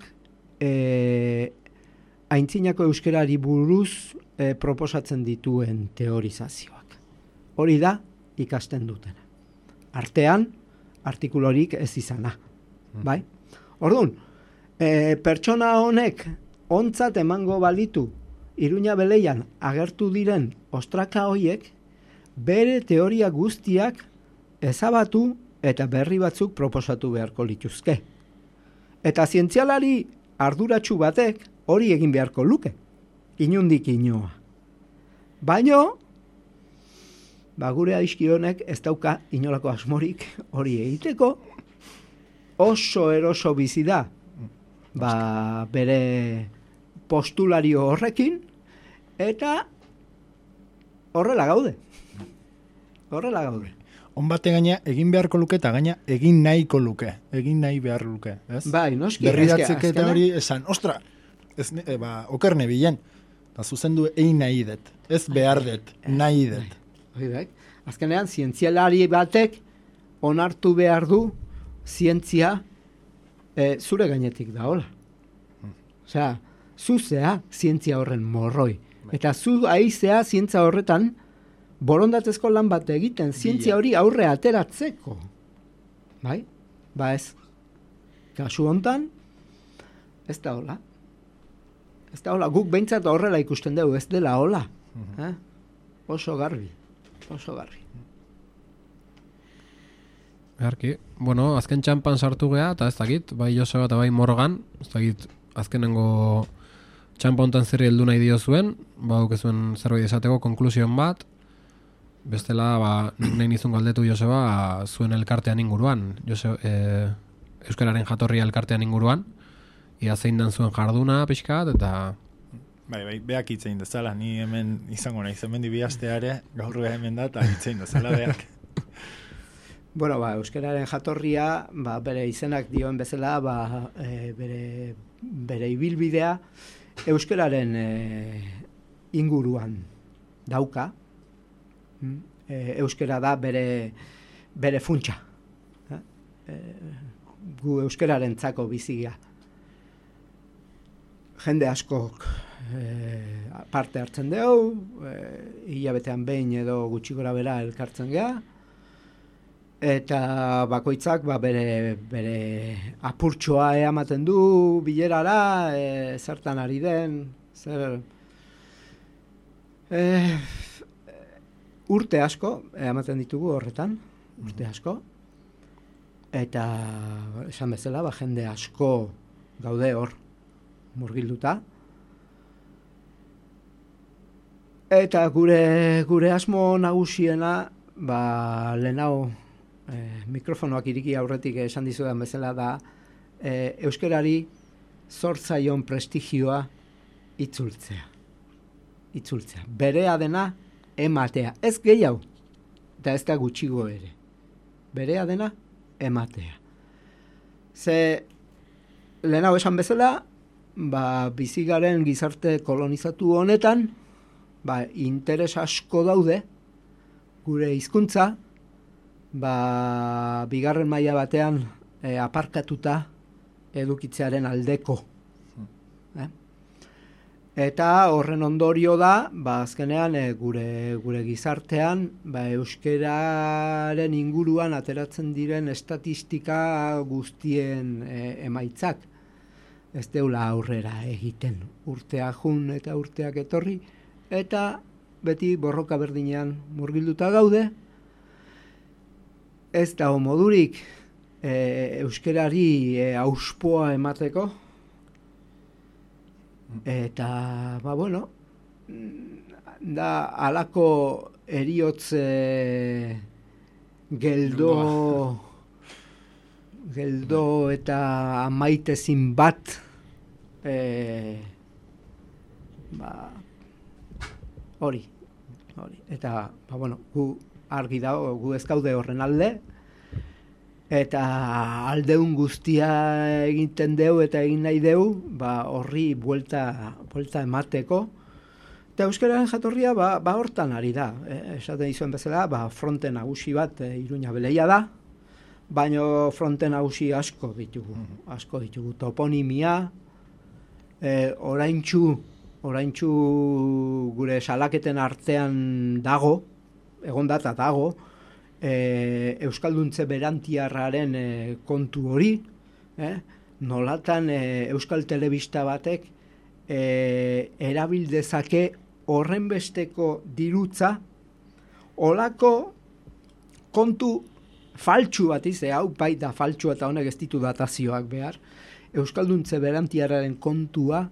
aintzinako euskerari buruz proposatzen dituen teorizazioak. Hori da ikasten dutena. Artean, artikulorik ez izana. Bai? Orduan, pertsona honek ontzat emango balitu Iruña Beleian agertu diren ostraka hoiek bere teoria guztiak ezabatu eta berri batzuk proposatu beharko lituzke. Eta zientzialari arduratsu batek hori egin beharko luke. Inundik inoa. Baino, gure aizki honek ez dauka inolako asmorik hori egiteko, oso eroso bizi da, bere postulario horrekin, eta horrela gaude.
On bate gaina egin beharko luke eta gaina egin nahiko luke. Egin nahi behar luke, ez?
Bai, noski.
Berridatzek eta hori esan, ostra, oker nebilen. Da zuzendu egin nahi dut. Ez behar dut, nahi dut.
Azkenean, zientzialari batek onartu behar du zientzia zure gainetik da, hola. Osea, zuzea zientzia horren morroi. Eta zu aizea zientzia horretan borondatezko lan bat egiten, zientzia hori aurre ateratzeko. Bai? Ba ez. Kasu hontan, ez da hola. Ez da hola. Guk behintzat horrela ikusten dugu, ez dela hola. Oso garbi.
Beharki. Bueno, azken txampan sartu gea, eta ez dakit, bai Joseba eta bai Morgan, ez dakit, azkenengo txampa hontan zerri heldu nahi dio zuen, dukezuen zerbait esateko konklusion bat, bestela, nik nahi nizun galdetu Joseba, zuen elkartean inguruan, Euskararen jatorria elkartean inguruan, ia zein dan zuen jarduna pixkat, eta...
Bai, beak hitzein dezala, ni hemen izango nahi, hemen dibiasteare, gaur hemen da, eta hitzein dezala beak.
Bueno, Euskararen jatorria, bere izenak dioen bezala, bere ibilbidea, Euskararen inguruan dauka. Euskara da bere funtsa. Gu euskararen tzako bizigia. Jende askok parte hartzen dugu, hilabetean behin edo gutxi gora bera elkartzen geha, eta bakoitzak bere apurtxoa ematen du bilerara, zertan ari den, urte asko ematen ditugu horretan, urte asko, eta esan bezala jende asko gaude hor murgilduta, eta gure asmo nagusiena lehenau mikrofonoak iriki aurretik esan dizudan bezala da euskarari zortzaion prestigioa itzultzea. Berea dena ematea. Ez gehiago, eta ez da gutxigo ere. Berea dena ematea. Ze lehenago esan bezala, bizigaren gizarte kolonizatu honetan, interes asko daude, gure hizkuntza, bigarren maila batean aparkatuta edukitzearen aldeko. Eta horren ondorio da, azkenean gure gizartean, euskararen inguruan ateratzen diren estatistika guztien emaitzak. Ez deula aurrera egiten, urteak jun eta urteak etorri, eta beti borroka berdinean murgilduta gaude. Ez dago modurik euskarari auspoa emateko, eta, da halako heriotz geldo eta amaitezin bat hori. Eta, gu argi dago, gu ez gaude horren alde, eta aldeun guztia egiten deu eta egin nahi deu, horri buelta emateko. Eta euskararen jatorria hortan ari da. Esaten dizuen bezala, fronte nagusi bat Iruña Beleia da, baina fronte nagusi asko ditugu. Toponimia, oraintxu gure salaketen artean dago, egon data dago, Euskalduntze berantiarraren kontu hori, nolatan Euskal Telebista batek erabildezake horren besteko dirutza, olako kontu faltsu bat hau baita faltsu eta honek ez ditu datazioak behar, Euskalduntze berantiarraren kontua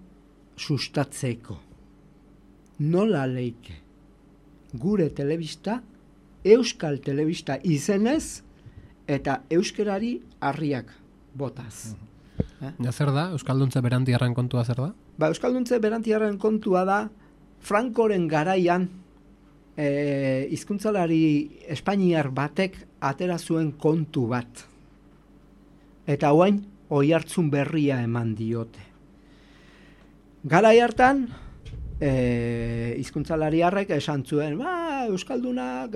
sustatzeko. Nola leike gure telebista Euskal Telebista izenez eta euskerari harriak botaz.
Ja, zer da? Euskalduntze berantiarren kontua zer da?
Euskalduntze berantiarren kontua da Frankoren garaian hizkuntzalari espainiar batek atera zuen kontu bat. Eta orain oihartzun berria eman diote. Garai hartan hizkuntzalariarrek esan zuen, euskaldunak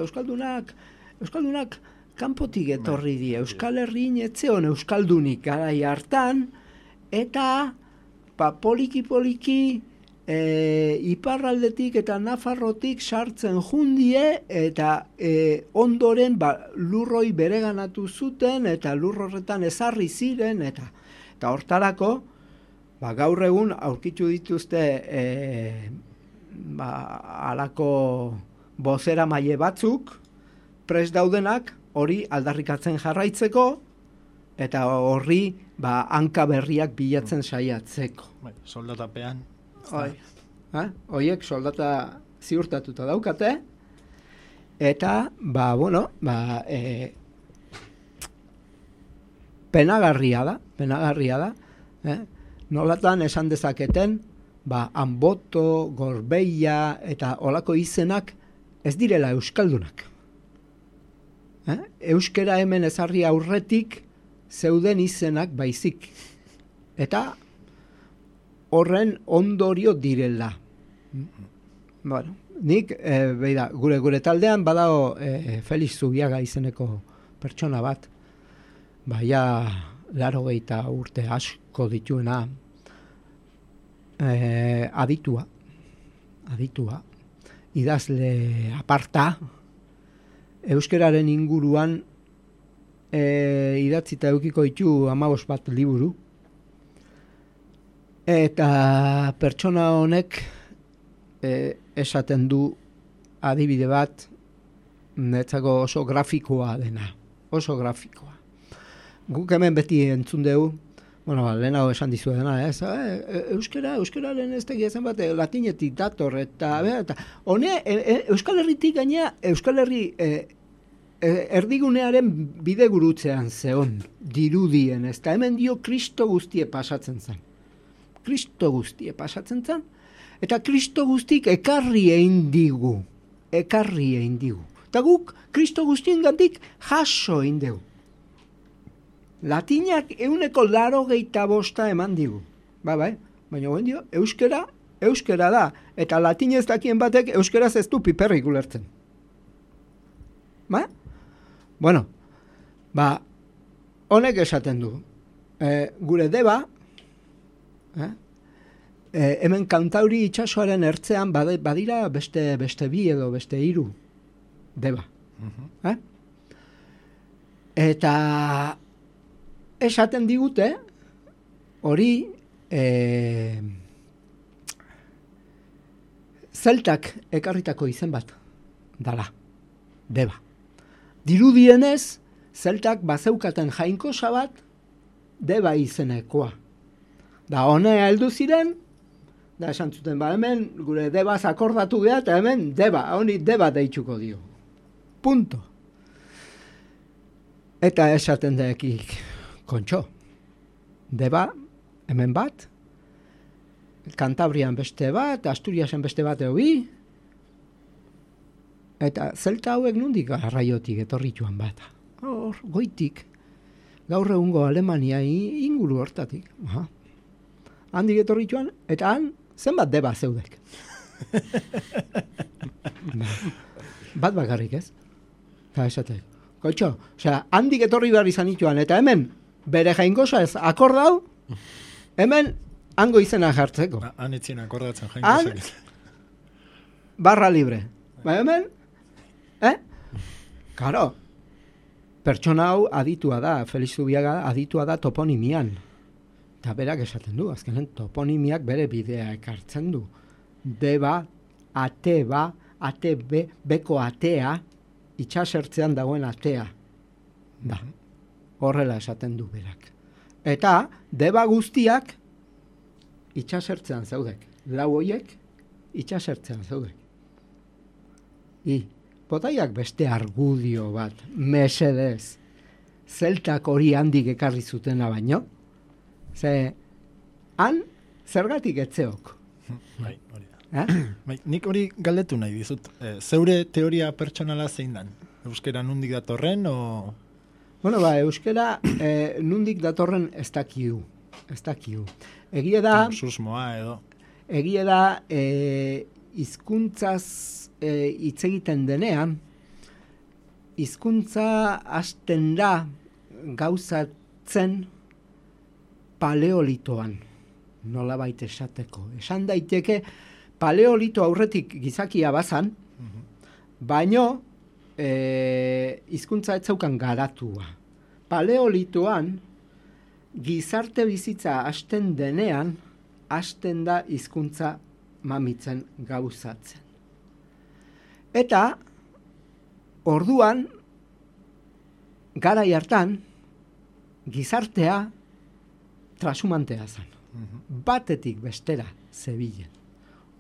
kanpotik etorri die. Euskal Herrin etzeon euskaldunik garai hartan, eta poliki iparraldetik eta Nafarrotik sartzen jundie, eta ondoren lurroi bereganatu zuten, eta lurrorretan ezarri ziren, eta hortarako, gaur egun aurkitu dituzte halako bozera maile batzuk, prest daudenak, hori aldarrikatzen jarraitzeko, eta horri hanka berriak bilatzen saiatzeko.
Soldatapean.
Hoiek soldata ziurtatuta daukate, eta, penagarria da, nolatan esan dezaketen, Anboto, Gorbeia, eta olako izenak ez direla euskaldunak. Euskera hemen ezarri aurretik zeuden izenak baizik. Eta horren ondorio direla. Nik, gure taldean badago Felix Zubiaga izeneko pertsona bat, 80 urte asko dituena, aditua, idazle aparta, euskeraren inguruan idatzita eukiko ditu 15 bat liburu, eta pertsona honek esaten du adibide bat netzako oso grafikoa dena, oso grafikoa. Guk hemen beti entzun dugu, lehenago esan dizu dena, euskararen ez tegia zen bat, latinetik dator, eta hone, Euskal Herritik gaina, Euskal Herri erdigunearen bide gurutzean zeon, dirudien, ez da hemen dio Kristo guztie pasatzen zen. Eta Kristo guztik ekarri egin digu. Eta guk Kristo guztien gandik jaso egin dugu. Latinak 185 eman digu. Baina guen dio, euskera da. Eta latinez dakien batek euskeraz ez du piperrik ulertzen. Honek esaten du. Gure deba, hemen Kantauri itsasoaren ertzean badira beste 2 edo beste 3 deba. Eta esaten digute, hori zeltak ekarritako izen bat dala, deba. Dirudienez, zeltak bazeukaten jainkosa bat deba izenekoa. Da honea heldu ziren, da esan zuten, hemen gure debaz akordatu geha, eta hemen deba, honi deba deitzuko dio. Punto. Eta esaten daekik, kontxo, deba, hemen bat, Kantabrian beste bat, Asturiasen beste bat bi, eta zelta hauek nundik arraiotik etorrituan bat. Hor, goitik, gaur egungo Alemania inguru hortatik. Handik etorrituan, eta han, zenbat deba zeudek. Bat bakarrik ez? Eta esatek, kontxo, handik etorri behar izan ituan, eta hemen, bere jainkosa ez akordau, hemen hango izena jartzeko.
Han etzien akordatzen jainkosak.
Barra libre. Hemen, Karo, pertsona hau aditua da, Felix Zubiaga aditua da toponimian. Eta berak esaten du, azkenen toponimiak bere bidea ekartzen du. Deba, ate beko atea, itxasertzean dagoen atea. Da. Horrela esaten du berak. Eta deba guztiak itxasertzean zaudek. Lau hoiek itxasertzean zaudek. botaiak beste argudio bat, mesedez, zeltak hori handik ekarri zutena baino, ze, han, zergatik etzeok.
Bai, hori da. Bai, nik hori galdetu nahi dizut. Zeure teoria pertsonala zein dan? Euskera nundik datorren, o...
Bueno, euskera nundik datorren ez dakiu. Egia da...
Susmoa edo...
Egia da hizkuntzaz hitz egiten denean, hizkuntza hasten da gauzatzen paleolitoan, nolabait esateko. Esan daiteke paleolito aurretik gizakia bazan, baino hizkuntza ez zeukan garatua. Paleolitoan gizarte bizitza hasten denean, hasten da hizkuntza mamitzen gauzatzen. Eta orduan garai hartan gizartea trasumantea zen. Batetik bestera zebilen.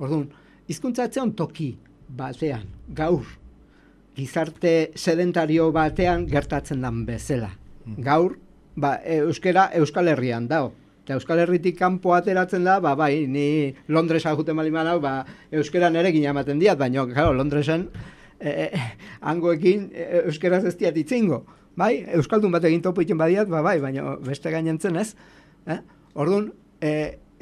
Orduan, hizkuntza etzeon toki batean, gaur, gizarte sedentario batean gertatzen dan bezala. Gaur, euskera Euskal Herrian dao. Eta Euskal Herritik kanpo ateratzen da, bai, ni Londresa juten baliman hau, euskera nerekin ematen diat, baina, claro, Londresen hangoekin euskeraz ez diat itzingo. Bai, euskaldun bat egin topo iten badiat, bai, baina beste gainentzen ez. Orduan,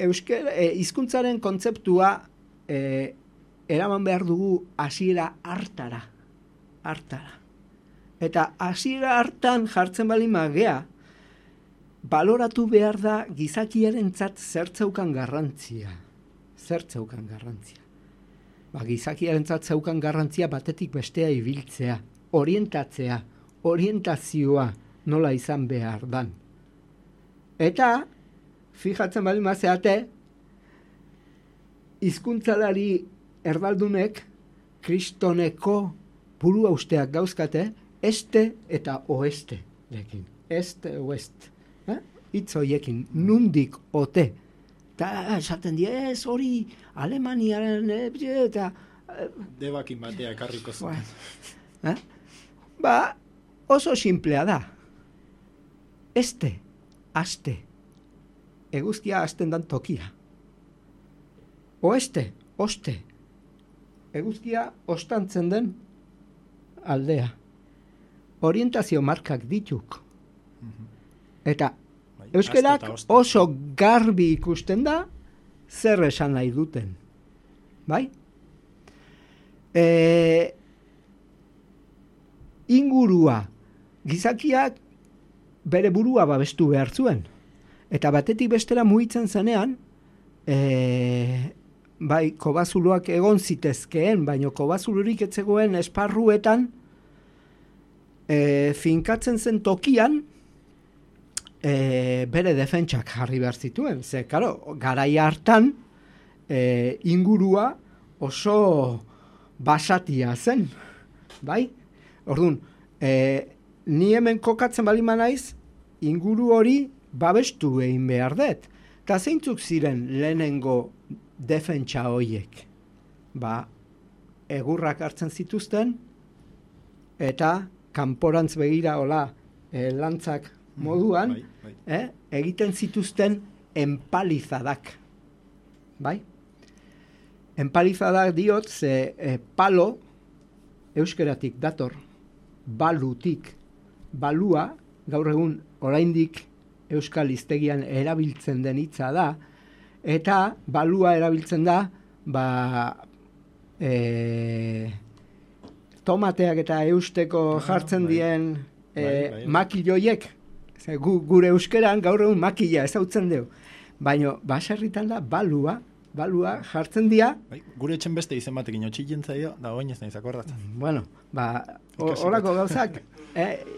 hizkuntzaren kontzeptua eraman behar dugu hasiera hartara. Eta hasiera hartan jartzen balima gea, baloratu behar da gizakiarentzat zertzeukan garrantzia. Gizakiarentzat zeukan garrantzia batetik bestea ibiltzea, orientatzea, orientazioa nola izan behar dan. Eta, fijatzen bali mazeate, hizkuntzalari erdaldunek kristoneko burua usteak gauzkate, este eta oeste lekin. Este, oest. Hitz horiekin, nundik ote. Eta esaten die, ez hori Alemaniaren eta...
Debakin batea ekarriko zuten.
Oso simplea da. Este, aste. Eguzkia hasten dan tokia. Oeste, oste. Eguzkia ostantzen den aldea. Orientazio markak dituk. Eta euskerak oso garbi ikusten da zer esan nahi duten. Bai? Ingurua. Gizakiak bere burua babestu behar zuen. Eta batetik bestera mugitzen zenean, bai, kobazuloak egon zitezkeen, baina kobazulurik etzegoen esparruetan, finkatzen zen tokian, bere defentsak jarri behar zituen. Ze, karo, garai hartan ingurua oso basatia zen. Bai? Orduan, ni hemen kokatzen balima naiz, inguru hori babestu egin behar dut. Eta zeintzuk ziren lehenengo defentsa horiek? Egurrak hartzen zituzten, eta kanporantz begira hola lantzak moduan, egiten zituzten empalizadak. Bai? Empalizadak diot, ze palo euskeratik dator, balutik. Balua, gaur egun oraindik euskal hiztegian erabiltzen den hitza da, eta balua erabiltzen da, tomateak eta eusteko jartzen dien makilloiek. Gure euskeran gaur egun makila ezautzen dugu. Baina baserritan da balua jartzen dira.
Gure etxen beste izen batekin otxillen zaio, da oin ez nahiz akordatzen.
Bueno, horako gauzak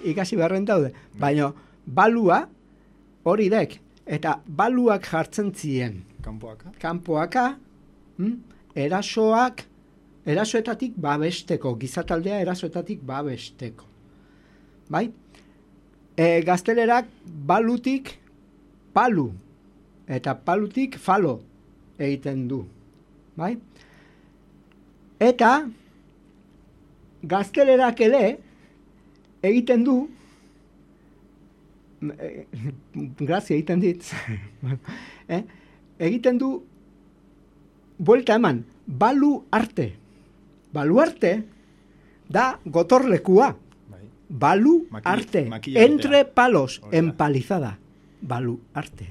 ikasi beharren daude. Baina balua hori dek. Eta baluak jartzen ziren. Kanpoaka. Erasoetatik babesteko. Gizataldea erasoetatik babesteko. Bai? Gaztelerak balutik palu eta palutik falo egiten du. Bai? Eta gaztelerak ere egiten du, grazia egiten dit, egiten du buelta eman, baluarte. Baluarte da gotorlekua. Baluarte. Entre palos, empalizada. Baluarte.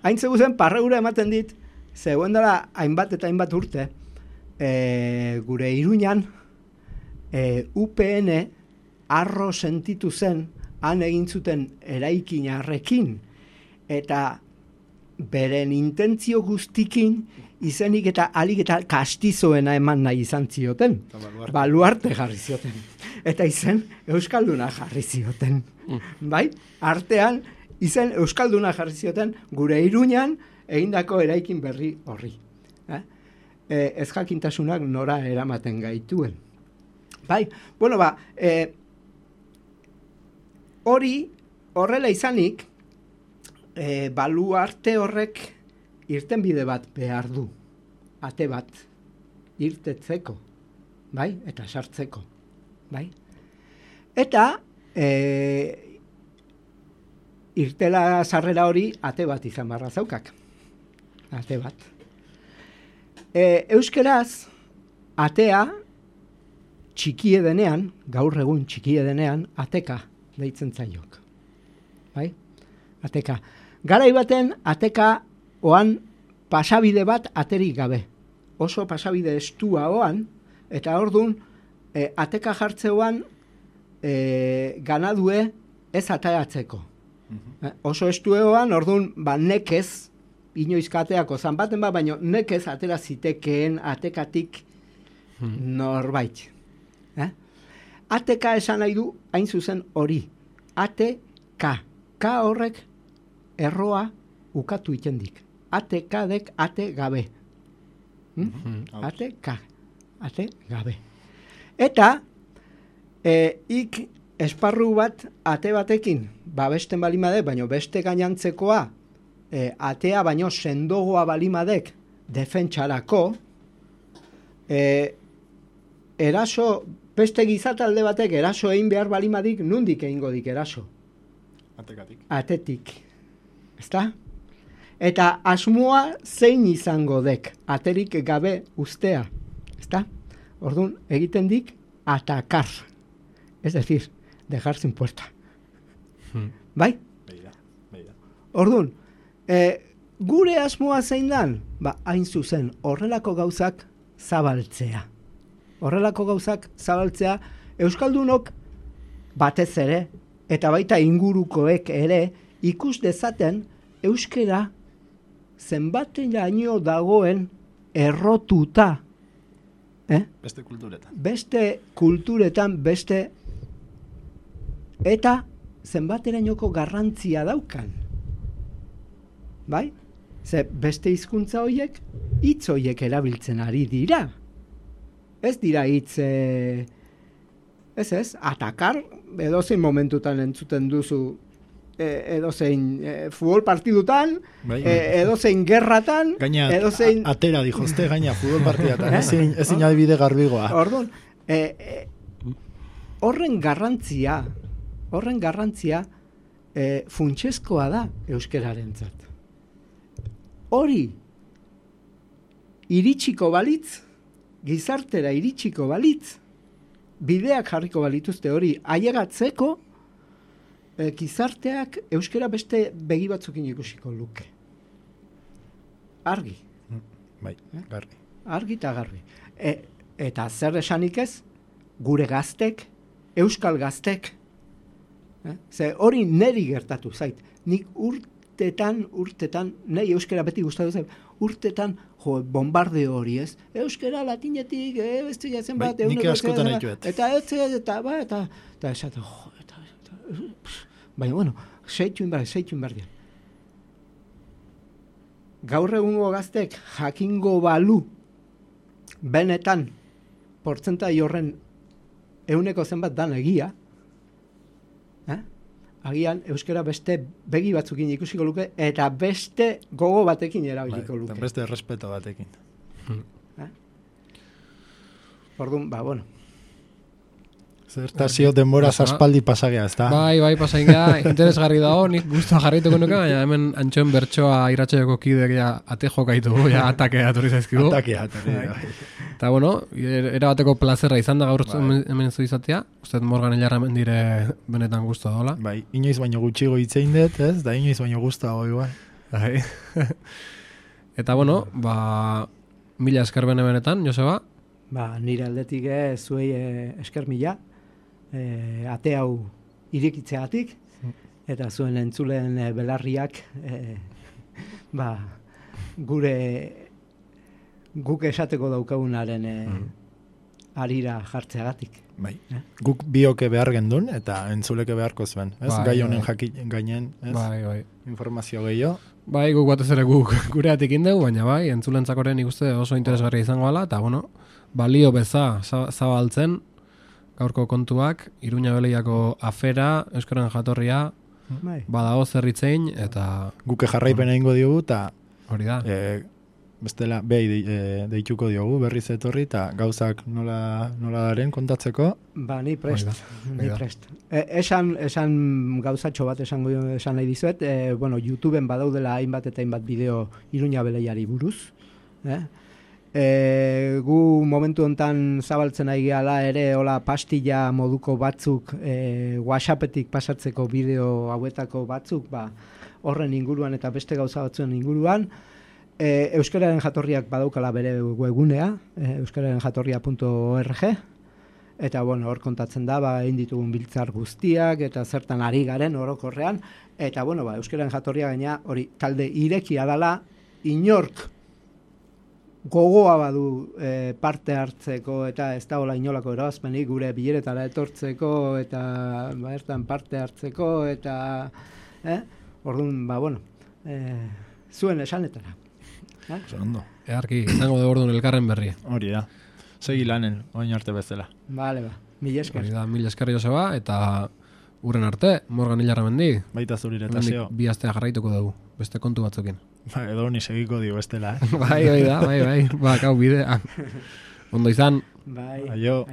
Hain zeguzen, parregura ematen dit, zegoen dela hainbat eta hainbat urte, gure Iruñan, UPN arro sentitu zen, han egin zuten eraikinarrekin, eta beren intentzio guztikin, izenik eta alik eta kastizoena eman nahi izan zioten. Baluarte jarri zioten. Eta izen euskalduna jarri zioten. Bai? Artean, izen euskalduna jarri zioten gure Iruñan egindako eraikin berri horri. Ez jakintasunak nora eramaten gaituen. Bai? Bueno, hori horrela izanik, baluarte horrek irtenbide bat behar du. Ate bat. Irtetzeko. Bai? Eta sartzeko. Bai? Eta irtela sarrera hori ate bat izan barra zaukak. Ate bat. Euskeraz, atea txikie denean, gaur egun txikie denean, ateka deitzen zaiok. Bai? Ateka. Garai baten, ateka oan pasabide bat aterik gabe. Oso pasabide estua oan, eta ordun ateka jartzeoan ganadue ez ataeratzeko. Oso estueoan, ordun nekez, inoizkateako zan baten baina nekez atera zitekeen atekatik norbait. Ateka esan nahi du, hain zuzen hori. Ateka. Ka horrek erroa ukatu itendik. Atekadek ate gabe. Ateka. Ate gabe. Eta, ik esparru bat ate batekin, babesten balimadek, baino beste gainantzekoa, atea baino sendogoa balimadek defentsarako, eraso, beste gizatalde batek eraso egin behar balimadik, nundik egingo dik eraso?
Atekatik.
Atetik. Ezta? Eta asmoa zein izango dek, aterik gabe ustea. Ezta? Orduan, egiten dik, atakar. Es decir, dejar sin puerta. Bai?
Beida.
Orduan, gure asmoa zein dan? Hain zuzen, horrelako gauzak zabaltzea. Horrelako gauzak zabaltzea, euskaldunok batez ere, eta baita ingurukoek ere, ikus dezaten euskera zenbateraino dagoen errotuta.
Beste kulturetan.
Beste kulturetan, eta zenbaterainoko garrantzia daukan. Bai? Ze beste hizkuntza horiek, hitz horiek erabiltzen ari dira. Ez dira hitz, atakar, edozein momentutan entzuten duzu, edozein futbol partidutan, edozein gerratan,
gaina
edozein...
atera dijozte, gaina futbol partidatan, ezin adibide garbigoa.
Orduan, horren garrantzia funtsezkoa da euskerarentzat. Hori iritsiko balitz, gizartera iritsiko balitz, bideak jarriko balituzte hori ailegatzeko, gizarteak euskera beste begi batzukin ikusiko luke. Argi.
Bai, garbi.
Argi eta garbi. Eta zer esanik ez, gure gaztek, euskal gaztek, ze hori neri gertatu zait. Nik urtetan, nahi euskera beti gustatu zait, urtetan, bombardeo hori ez, euskera latinetik, bestigatzen bat,
nik askotan haituet.
Eta esate, baina, bueno, seitun behar dian. Gaur egungo gaztek jakingo balu benetan portzentai horren 100 zenbat dan egia, agian euskera beste begi batzukin ikusiko luke eta beste gogo batekin erabiliko luke.
Beste respeto batekin.
Orduan, bueno.
Zertazio denbora aspaldi pasagea, ez da?
Bai, pasainga, interesgarri dago, nik guztua jarrituko nuke, baina hemen Antxoen bertsoa iratxeako kideak ja ate jokaitu, ja atakea atorri zaizkigu.
Atakea, bai.
Eta bueno, erabateko plazerra izan da gaur hemen zu izatea, uste Morgan Illarramendire benetan guztua dola.
Bai, inoiz baino gutxigo hitzein dut, ez? Da inoiz baino guztua igual.
Bai. Eta bueno, mila esker benetan, Joseba.
Nire aldetik zuei esker mila. Ate hau irekitzeatik eta zuen entzulen belarriak guk esateko daukagunaren arira jartzeagatik.
Bai. Guk bioke behar gendun eta entzuleke beharko zuen, ez? Gai honen gainen, ez?
Bai.
Informazio gehiago.
Bai, guk batez ere guk gureatik indegu, baina bai, entzulentzakoren ikuste oso interesgarria izango ala, eta bueno, balio beza zabaltzen gaurko kontuak, Iruña Beleiako afera, euskaren jatorria, badago zerritzein, eta...
Guke jarraipen egingo diogu, eta...
Hori da.
Bestela, deituko diogu, berriz etorri, eta gauzak nola daren kontatzeko.
Ni prest. Esan gauzatxo bat esan nahi dizuet, YouTubeen badaudela hainbat eta hainbat bideo Iruña Beleiari buruz, gu momentu hontan zabaltzen ari gala ere hola pastilla moduko batzuk WhatsAppetik pasatzeko bideo hauetako batzuk horren inguruan eta beste gauza batzuen inguruan euskararen jatorriak badaukala bere webgunea euskararenjatorria.org eta hor kontatzen da egin ditugun biltzar guztiak eta zertan ari garen orokorrean eta euskararen jatorria gaina hori talde irekia dala inork gogoa badu parte hartzeko eta ez da hola inolako erabazpenik gure bileretara etortzeko eta bertan parte hartzeko eta orduan zuen esanetara.
Ondo.
Earki, izango dugu orduan elkarren berri.
Hori da. Segi lanen, oin arte bezala.
Vale, mila esker.
Hori da, mila esker Joseba, eta urren arte, Morgan Illarramendi.
Baita zurire eta zeo.
Bi astea jarraituko dugu, beste kontu batzukin.
Edo ni segiko dio bestela.
Bai, bai, bidea. Ondo izan.
Bai,
aio.